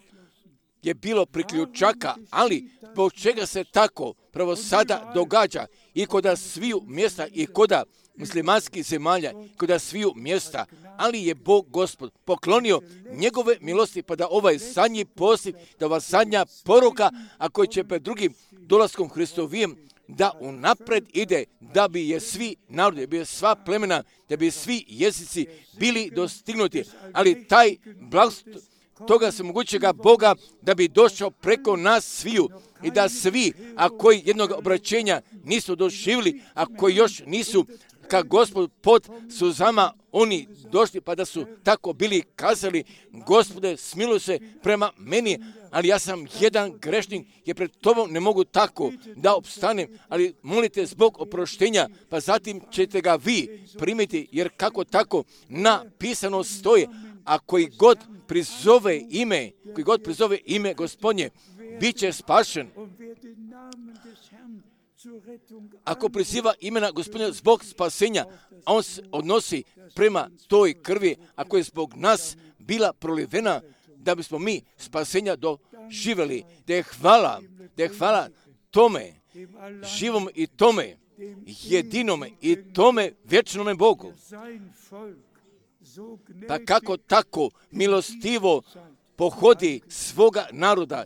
je bilo priključaka, ali zbog čega se tako pravo sada događa i koda sviju mjesta i koda muslimanskih zemalja, koda sviju mjesta, ali je Bog Gospod poklonio njegove milosti, pa da ovaj zadnji poziv, da ova zadnja poruka, a koji će pred drugim dolaskom Hristovijem da unapred ide, da bi je svi narodi, da bi je sva plemena, da bi svi jezici bili dostignuti, ali taj blagoslov toga svemogućega Boga da bi došao preko nas sviju i da svi, a koji jednog obraćenja nisu doživjeli, a koji još nisu ka Gospod pod suzama oni došli, pa da su tako bili kazali, Gospode, smiluj se prema meni, ali ja sam jedan grešnik, jer pred tobom ne mogu tako da opstanem, ali molite zbog oproštenja, pa zatim ćete ga vi primiti, jer kako tako napisano stoji, a koji god prizove ime Gospodnje, bit će spašen. Ako priziva imena Gospodina zbog spasenja, a on se odnosi prema toj krvi, ako je zbog nas bila prolivena, da bismo mi spasenja doživjeli, da je hvala tome, živom i tome, jedinome i tome vječnome Bogu. Pa kako tako milostivo pohodi svoga naroda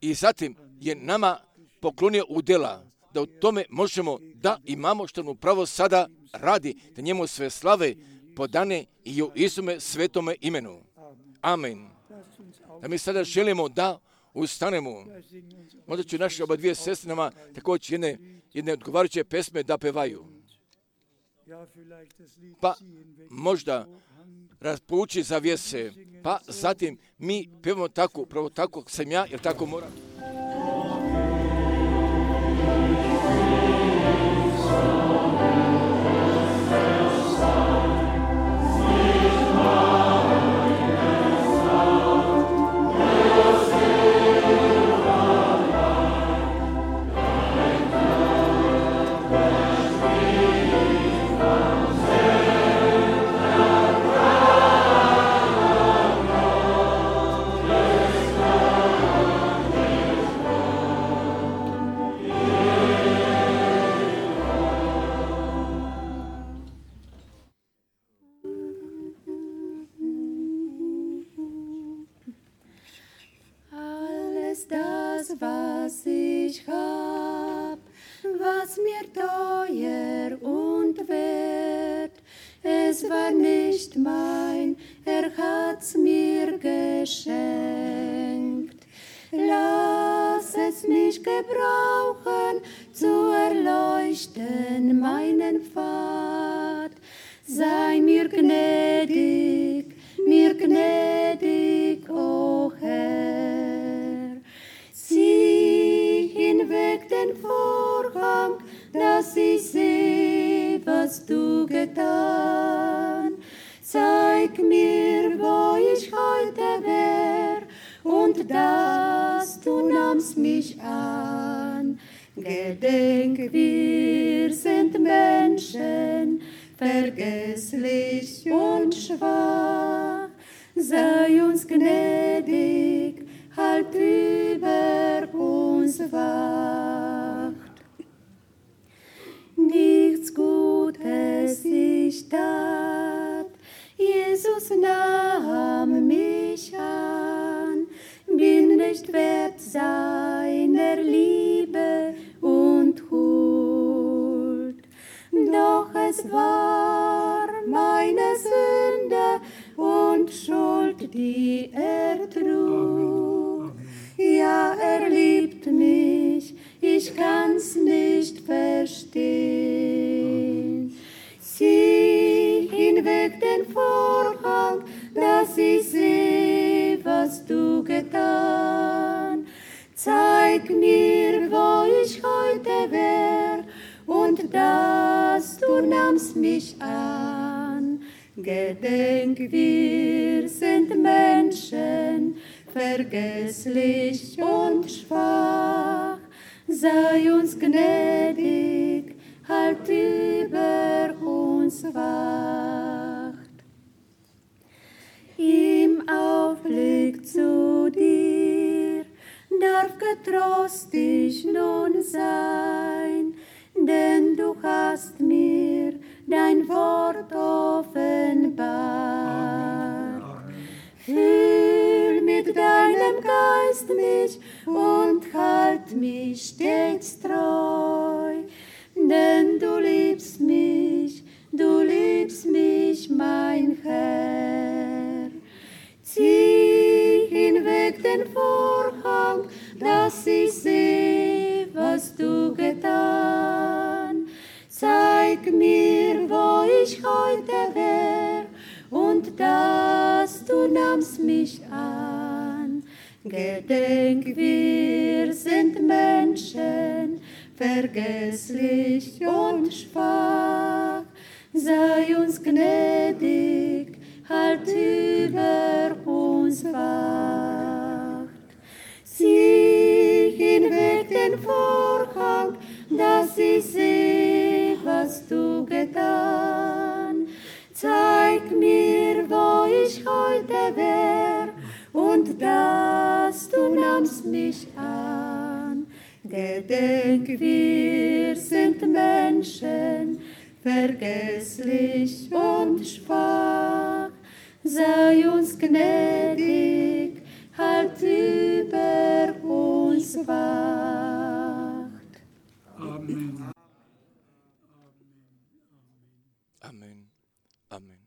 i zatim je nama poklonio udjela da u tome možemo da imamo što mu pravo sada radi, da njemu sve slave podane i u Isume svetome imenu. Amen. Da mi sada želimo da ustanemo. Možda ću naše oba dvije sestre nama također jedne odgovarajuće pesme da pevaju. Pa možda raspouči zavjese, pa zatim mi pevamo tako, upravo tako sam ja, jer tako moram. Was ich hab, was mir teuer und wert, es war nicht mein, hat's mir geschenkt. Lass es mich gebrauchen, zu erleuchten meinen Pfad. Sei mir gnädig, o Herr. Zieh hinweg den Vorhang, dass ich seh, was du getan. Zeig mir, wo ich heute wär, und dass du nahmst mich an. Gedenk, wir sind Menschen, vergesslich und schwach. Sei uns gnädig, halt über uns wacht. Nichts Gutes ich tat, Jesus nahm mich an, bin nicht wert seiner Liebe und Huld. Doch es war meine Sünde und Schuld, die er trug. Ja, er liebt mich, ich kann's nicht verstehen. Zieh hinweg den Vorhang, dass ich seh, was du getan. Zeig mir, wo ich heute wär, und dass du nahmst mich an. Gedenk, wir sind Menschen, vergesslich und schwach. Sei uns gnädig, halt über uns wacht. Im Aufblick zu dir darf getrost ich nun sein, denn du hast mir dein Wort offenbart. Füll mit deinem Geist mich und halt mich stets treu, denn du liebst mich, mein Herr. Zieh hinweg den Vorhang, dass ich seh, was du getan. Zeig mir, wo ich heute wär, und dass du nahmst mich an. Gedenk, wir sind Menschen, vergesslich und schwach. Sei uns gnädig, halt über uns wacht. Zieh hinweg den Vorhang, dass ich seh, was du getan. Zeig mir, wo ich heute wär, und dass du nahmst mich an. Gedenk, wir sind Menschen, vergesslich und schwach. Sei uns gnädig, halt über uns wacht. Amen. Amen. Amen.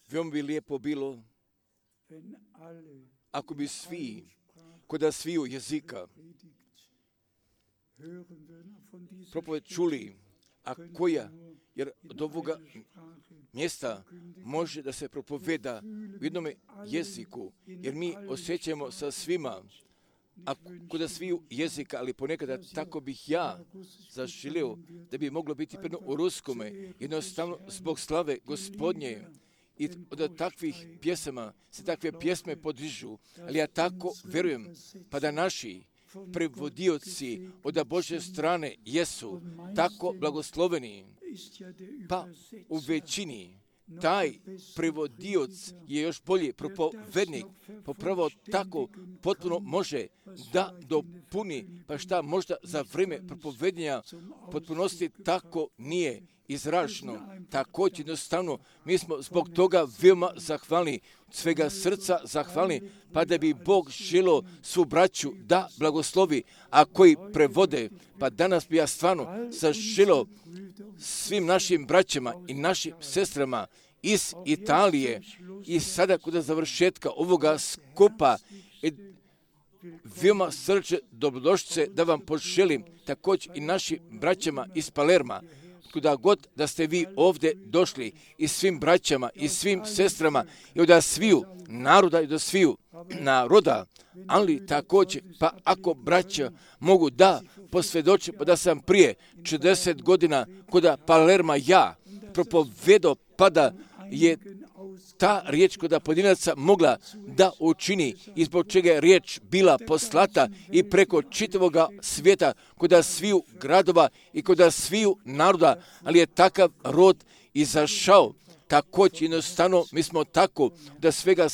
Veoma bi lijepo bilo ako bi svi, kod sviju jezika propoved čuli, a koja, jer od ovoga mjesta može da se propoveda u jednom jeziku, jer mi osjećamo sa svima, a kod sviju jezika, ali ponekada tako bih ja zaželio da bi moglo biti predno u ruskome, jednostavno zbog slave Gospodnje. I od takvih pjesama se takve pjesme podižu, ali ja tako vjerujem, pa da naši prevodioci od Božje strane jesu tako blagosloveni, pa u većini taj prevodioc je još bolji propovednik, popravo tako potpuno može da dopuni, pa šta možda za vrijeme propovednja potpunosti tako nije izraženo. Također jednostavno mi smo zbog toga veoma zahvalni, svega srca zahvalni, pa da bi Bog želio svu braću da blagoslovi, a koji prevode, pa danas bi ja stvarno zaželio svim našim braćama i našim sestrama iz Italije i sada kod završetka ovoga skupa veoma srce dobrodošlice da vam poželim, također i našim braćama iz Palerma, kuda god da ste vi ovdje došli, i svim braćama i svim sestrama i od sviju naroda i do sviju naroda, ali također, pa ako braća mogu da posvjedoče, pa da sam prije 40 godina kod Palerma ja propovedao, pa da je ta riječ kod pojedinaca mogla da učini i zbog čega je riječ bila poslata i preko čitavoga svijeta, kod sviju gradova i kod sviju naroda, ali je takav rod izašao. Također jednostavno mi smo tako da svega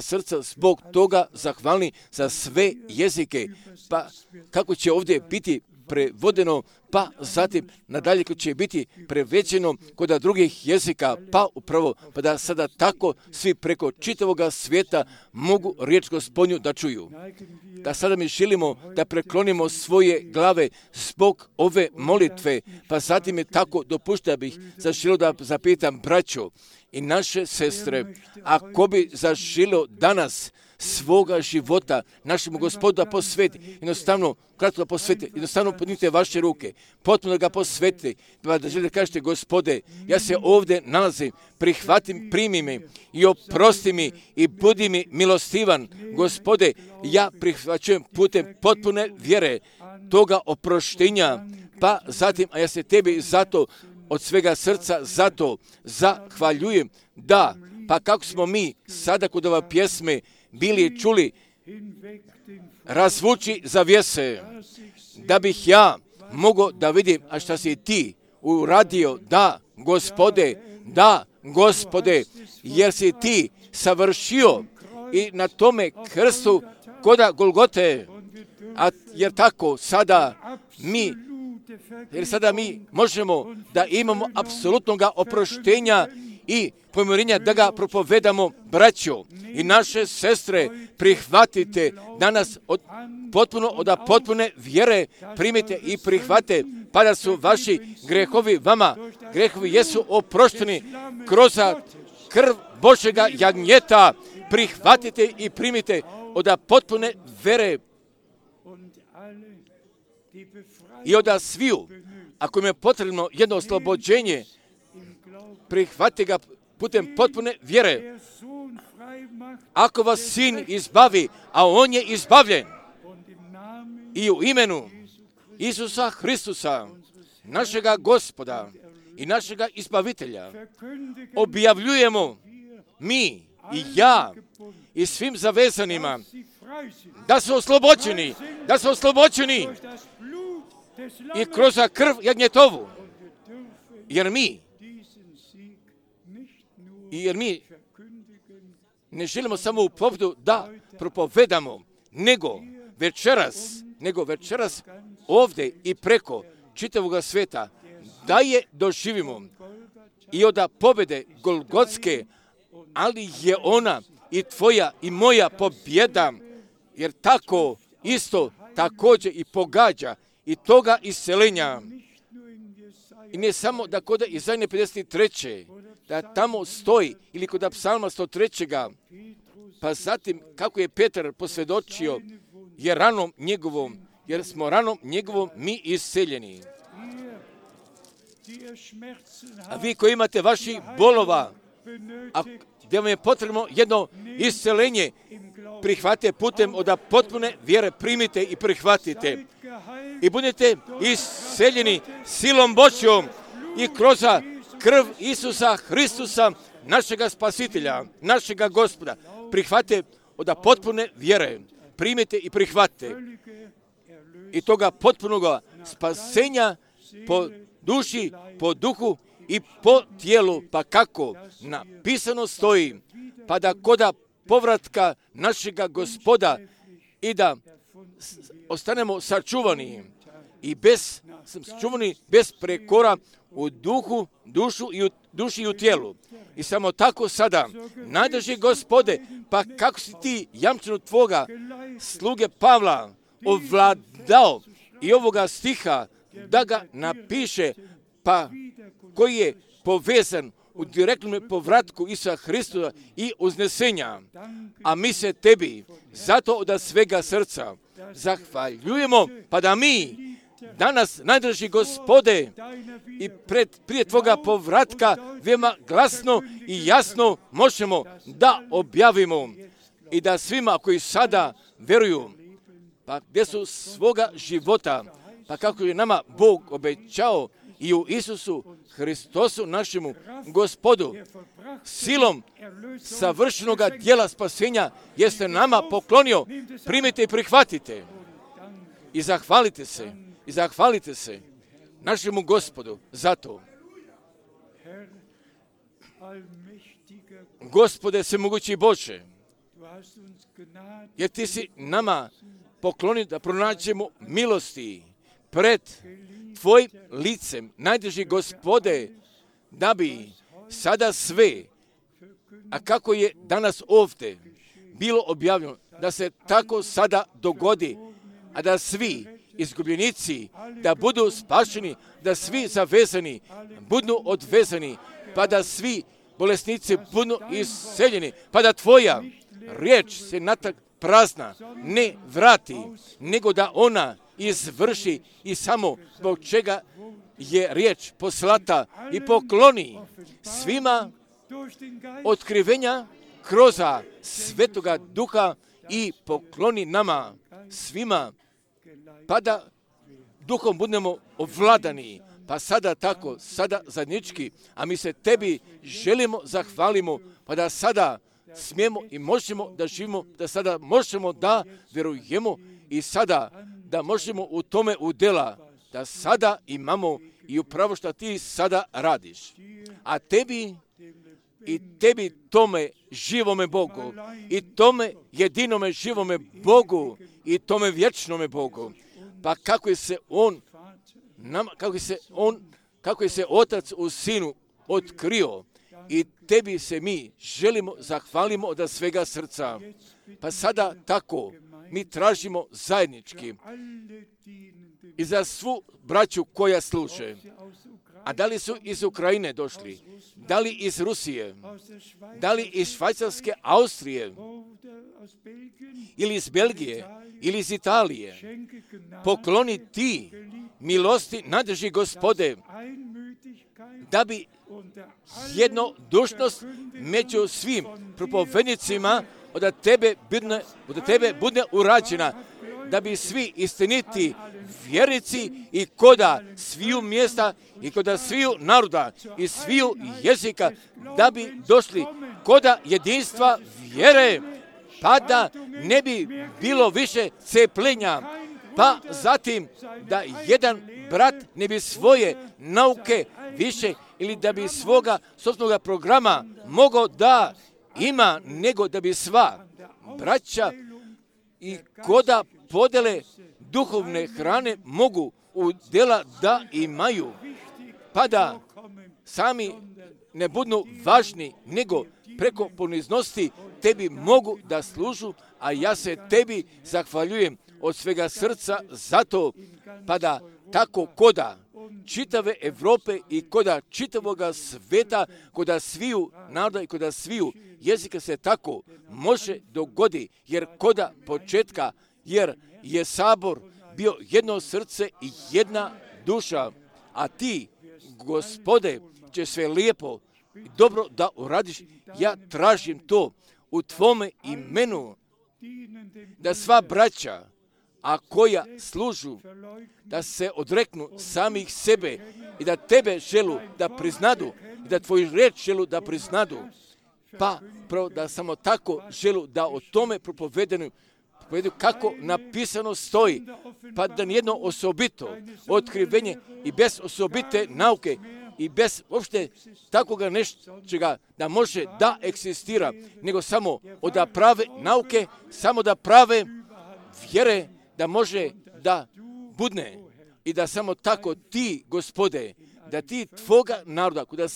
srca zbog toga zahvalni za sve jezike. Pa kako će ovdje biti prevodeno, pa zatim nadalje ko će biti preveđeno kod drugih jezika, pa upravo, pa da sada tako svi preko čitavoga svijeta mogu riječ Gospodnju da čuju. Da sada mi želimo da preklonimo svoje glave zbog ove molitve, pa zatim je tako dopušta bih zaželio da zapitam braćo i naše sestre, ako bi zaželio danas svoga života našemu Gospodu da posveti, jednostavno, kratko da posveti, jednostavno podnite vaše ruke, potpuno da ga posvetite, da želite da kažete, Gospode, ja se ovdje nalazim, prihvatim, primi me i oprosti mi i budi mi milostivan. Gospode, ja prihvaćujem putem potpune vjere toga oproštenja, pa zatim, a ja se tebi zato od svega srca zato zahvaljujem, da, pa kako smo mi sada kod ove pjesme bili čuli, razvuči zavjese, da bih ja mogao da vidim, a šta si ti uradio, da, Gospode, jer si ti savršio i na tome krstu koda Golgote, jer tako sada mi možemo da imamo apsolutnog oproštenja i pomirenja da ga propovedamo, braćo i naše sestre, prihvatite danas od potpune vjere, primite i prihvate, pa da su vaši grehovi vama, grehovi jesu oprošteni kroz krv Božjega jagnjeta, prihvatite i primite od potpune vjere i od sviju, ako im je potrebno jedno oslobođenje, prihvatite ga putem potpune vjere. Ako vas Sin izbavi, a on je izbavljen, i u imenu Isusa Hristusa, našega Gospoda i našega Izbavitelja, objavljujemo mi i ja i svim zavezanima da su oslobođeni i kroz krv jagnjetovu, jer mi ne želimo samo u povdu da propovedamo, nego večeras ovdje i preko čitavog svijeta da je doživimo i od pobjede Golgotske, ali je ona i tvoja i moja pobjeda, jer tako isto također i pogađa i toga isceljenja I ne samo da kod Izaije 53. da tamo stoji, ili kod Psalma 103. Pa zatim kako je Petar posvjedočio, jer smo ranom njegovom mi isceljeni. A vi koji imate vaših bolova, a gdje vam je potrebno jedno isceljenje, prihvatite putem od potpune vjere, primite i prihvatite. I budete isceljeni silom Božjom i kroz krv Isusa Hristusa, našega Spasitelja, našega Gospoda. Prihvatite od potpune vjere, primite i prihvatite. I toga potpunoga spasenja po duši, po duhu i po tijelu, pa kako napisano stoji, pa da koda povratka našega Gospoda i da ostanemo sačuvani i bez prekora u duhu, duši i u tijelu. I samo tako sada, najdrži Gospode, pa kako si ti jamčinu tvoga sluge Pavla ovladao i ovoga stiha da ga napiše, pa koji je povezan u direktnom povratku Isusa Hristusa i uznesenja. A mi se tebi zato od svega srca zahvaljujemo, pa da mi danas, najdrži Gospode, i prije tvoga povratka veoma glasno i jasno možemo da objavimo i da svima koji sada veruju, pa gdje su svoga života, pa kako je nama Bog obećao i u Isusu Hristosu našemu Gospodu, silom savršenog djela spasenja jeste nama poklonio, primite i prihvatite i zahvalite se našemu Gospodu za to. Gospode svemogući Bože, jer ti si nama poklonio da pronađemo milosti pred tvojim licem, najdrži Gospode, da bi sada sve, a kako je danas ovdje bilo objavljeno, da se tako sada dogodi, a da svi izgubljenici da budu spašeni, da svi zavezani budu odvezani, pa da svi bolesnici budu isceljeni, pa da tvoja riječ se natrag prazna ne vrati, nego da ona izvrši i samo zbog čega je riječ poslata i pokloni svima otkrivenja kroz Svetoga Duha i pokloni nama svima, pa da Duhom budemo ovladani, pa sada tako, sada zajednički, a mi se tebi želimo, zahvalimo, pa da sada smijemo i možemo da živimo, da sada možemo da vjerujemo i sada da možemo u tome udjela, da sada imamo i upravo što ti sada radiš. A tebi tome živome Bogu i tome jedinome živome Bogu i tome vječnome Bogu. Pa kako je se Otac u Sinu otkrio i tebi se mi želimo, zahvalimo od svega srca. Pa sada tako mi tražimo zajednički i za svu braću koja služe. A da li su iz Ukrajine došli, da li iz Rusije, da li iz Švajcarske, Austrije, ili iz Belgije, ili iz Italije, pokloni ti milosti, najdrži Gospode, da bi jednodušnost među svim propovednicima od tebe bude urađena, da bi svi istiniti vjernici i koda sviju mjesta i koda sviju naroda i sviju jezika, da bi došli koda jedinstva vjere, pa da ne bi bilo više cepljenja, pa zatim da jedan brat ne bi svoje nauke više ili da bi svoga sopstvenog programa mogao da ima, nego da bi sva braća i koda podele duhovne hrane mogu u djela da imaju, pa da sami ne budu važni, nego preko poniznosti tebi mogu da služu, a ja se tebi zahvaljujem od svega srca za to, pa da tako koda čitave Evrope i koda čitavoga sveta, koda sviju naroda i koda sviju jezika se tako može dogodi, jer koda početka, jer je sabor bio jedno srce i jedna duša, a ti, Gospode, će sve lijepo i dobro da uradiš. Ja tražim to u tvome imenu, da sva braća, a koja služu, da se odreknu samih sebe i da tebe želu da priznadu i da tvoju reč želu da priznadu, pa pravo da samo tako želu da o tome propovedu kako napisano stoji, pa da nijedno osobito otkrivenje i bez osobite nauke i bez uopšte takoga nečega da može da eksistira, nego samo od prave nauke, samo da prave vjere, da može da budne i da samo tako ti, Gospode, da ti tvoga naroda, kuda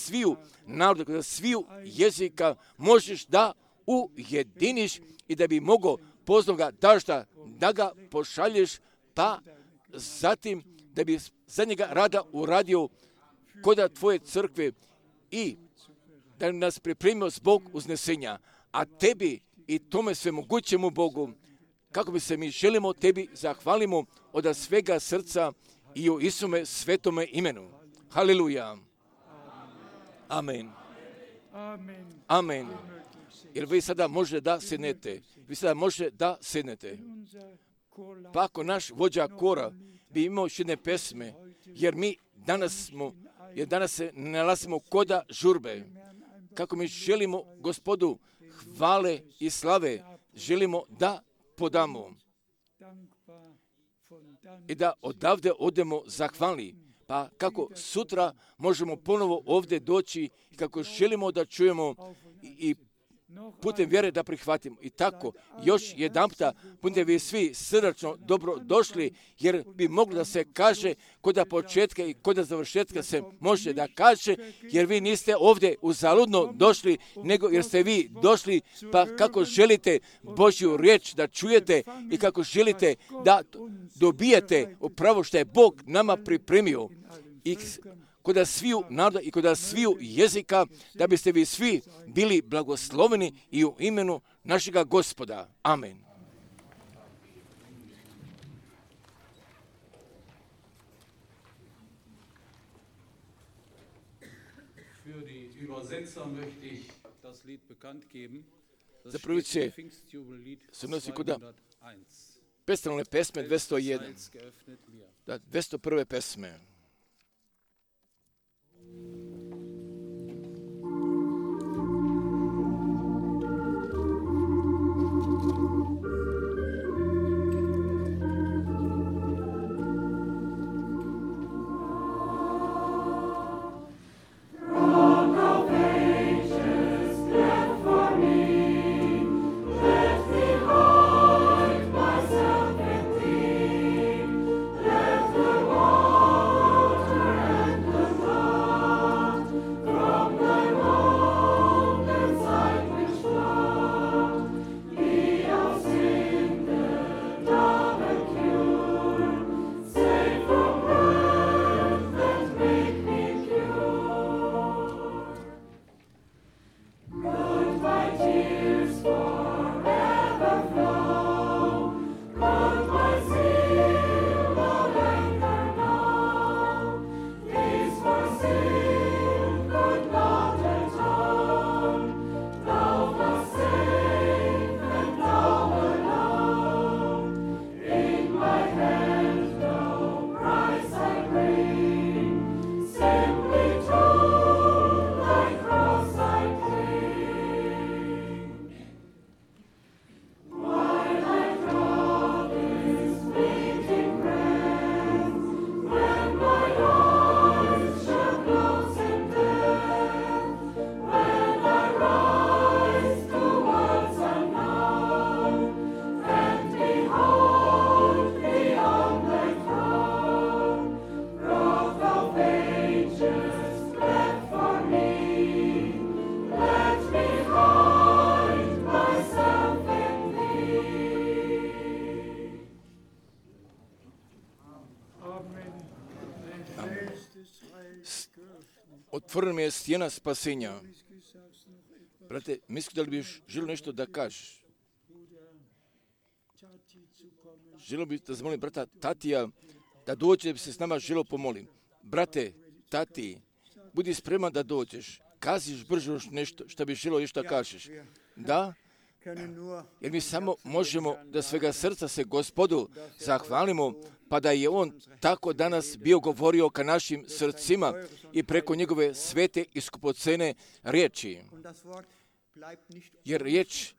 sviju jezika možeš da ujediniš i da bi mogao poznoga dažda da ga pošalješ, pa zatim da bi za njega rada uradio koda tvoje crkve i da nas pripremio zbog uznesenja, a tebi i tome svemogućemu Bogu, kako bi se mi želimo tebi zahvalimo od svega srca i u Isume svetome imenu. Haleluja. Amen. Amen. Jer vi sada možete da sednete. Pa ako naš vođa kora bi imao još jedne pesme, jer mi danas se nalazimo koda žurbe, kako mi želimo Gospodu hvale i slave, želimo da podamo i da odavde odemo zahvalni, pa kako sutra možemo ponovo ovdje doći i kako želimo da čujemo i putem vjere da prihvatimo. I tako, još jedanputa, budete vi svi srdačno dobro došli, jer bi moglo da se kaže koda početka i koda završetka se može da kaže, jer vi niste ovdje uzaludno došli, nego jer ste vi došli, pa kako želite Božju riječ da čujete i kako želite da dobijete upravo što je Bog nama pripremio. I koda sviju naroda i koda sviju jezika, da biste vi svi bili blagosloveni i u imenu našega Gospoda. Amen. Za prvice se nosi koda pestalne pesme 201. Da, 201. pesme. otvorena mi je stijena spasenja. Brate, mislim da li bi želio nešto da kažeš? Želio bi da zamolim brata Tatija da dođe da bi se s nama želio pomolim. Brate, Tati, budi spreman da dođeš. Kaziš brže nešto što bi želio još da kažeš. Da? Jer mi samo možemo da svega srca se Gospodu zahvalimo, pa da je On tako danas bio govorio ka našim srcima i preko njegove svete i skupocene riječi. Jer riječ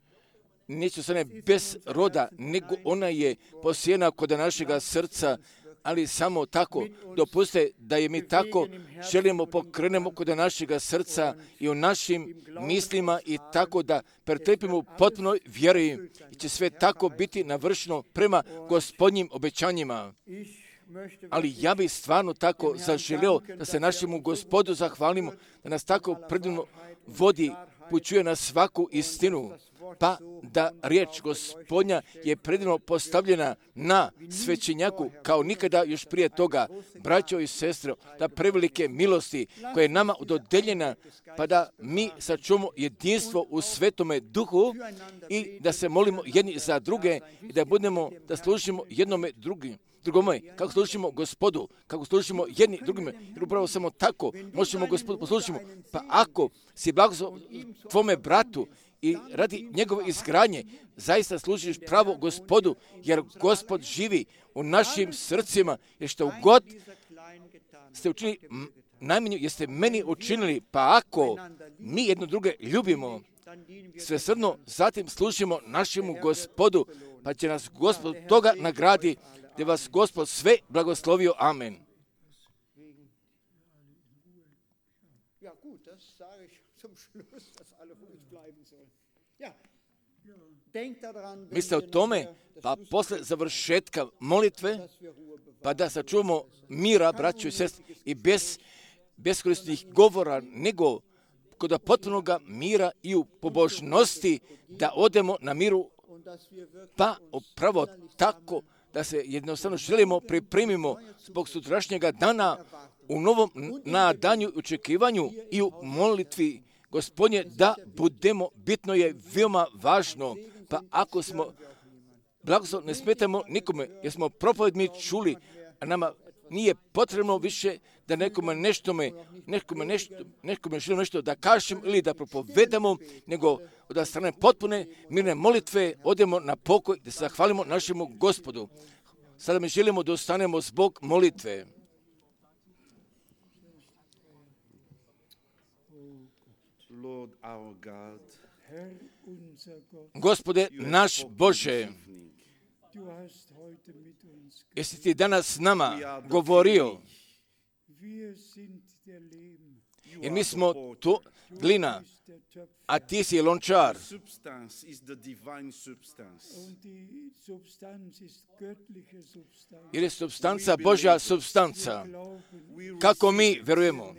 neće ostane bez roda, nego ona je posijena kod našega srca, ali samo tako dopuste da je mi tako želimo pokrenemo kod našega srca i u našim mislima i tako da pretrpimo u potpunoj vjeri i će sve tako biti navršeno prema Gospodnjim obećanjima. Ali ja bih stvarno tako zaželio da se našemu Gospodu zahvalimo, da nas tako predivno vodi, pućuje na svaku istinu, pa da riječ Gospodnja je predivno postavljena na svećenjaku kao nikada još prije toga. Braćo i sestre, da prevelike milosti koje je nama dodeljena, pa da mi sačuvamo jedinstvo u Svetome Duhu i da se molimo jedni za druge i da služimo jednome drugome, kako služimo Gospodu, kako služimo jedni drugime, jer upravo samo tako možemo Gospodu poslužimo. Pa ako si blagoslov tvome bratu i radi njegove izgradnje, zaista služiš pravo Gospodu, jer Gospod živi u našim srcima, jer što god ste učinili najmanje, jeste meni učinili, pa ako mi jedno druge ljubimo, svesrdno zatim služimo našemu Gospodu, pa će nas Gospod toga nagradi, da vas Gospod sve blagoslovio. Amen. Mislite o tome, pa posle završetka molitve, pa da sačuvamo mira, braćo i sestre, i bez beskorisnih govora, nego kod potpunog mira i u pobožnosti, da odemo na miru, pa upravo tako da se jednostavno želimo pripremimo zbog sutrašnjega dana u novom nadanju i očekivanju i u molitvi Gospodnje, da budemo, bitno je veoma važno, pa ako smo blagoslov, ne smetamo nikome, jer smo propoved mi čuli, a nama nije potrebno više da nekome želimo nešto da kažem ili da propovedamo, nego od strane potpune mirne molitve odemo na pokoj da se zahvalimo našemu Gospodu. Sada mi želimo da ostanemo zbog molitve. Gospode naš Bože, jesi ti danas s nama govorio, jer mi smo to glina, a ti si lončar. Jer je substanca Božja substanca. Kako mi verujemo,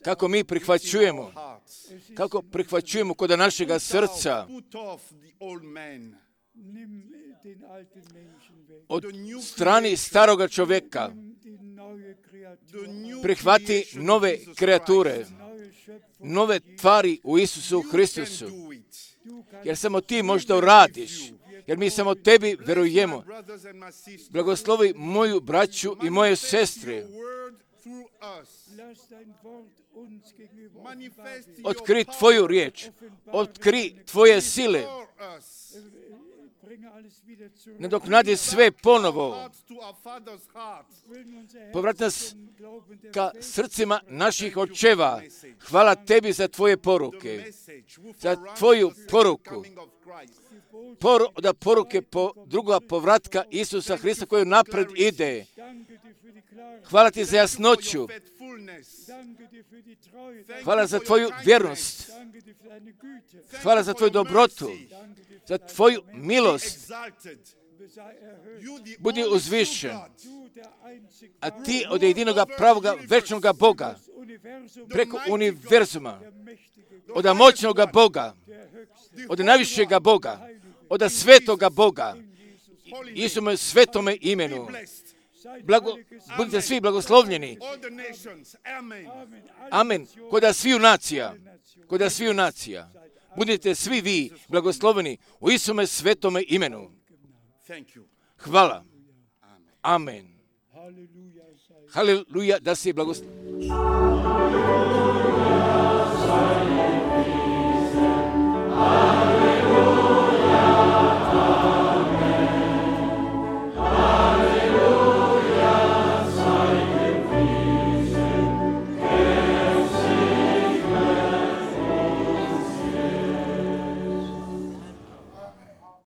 kako mi prihvaćujemo, kako prihvaćujemo kod našega srca, od strani staroga čovjeka prihvati nove kreature, nove tvari u Isusu Hristusu. Jer samo ti možda uradiš, jer mi samo tebi verujemo. Blagoslovi moju braću i moje sestre. Otkri tvoju riječ, otkri tvoje sile. Nadoknadi sve ponovo. Povrati nas ka srcima naših očeva. Hvala tebi za tvoje poruke, za tvoju poruku. Da poruke druga povratka Isusa Hrista koju napred ide. Hvala ti za jasnoću. Hvala za tvoju vjernost. Hvala za tvoju dobrotu, za tvoju milost. Budi uzvišen. A ti od jedinoga pravoga večnoga Boga, preko univerzuma, od moćnoga Boga, od najvišega Boga, od svetoga Boga, Isuse svetome imenu, budite svi blagoslovljeni. Amen. Kod sviju nacija. Budite svi vi blagosloveni u Isume svetome imenu. Hvala. Amen. Haleluja, da si blagosloveni.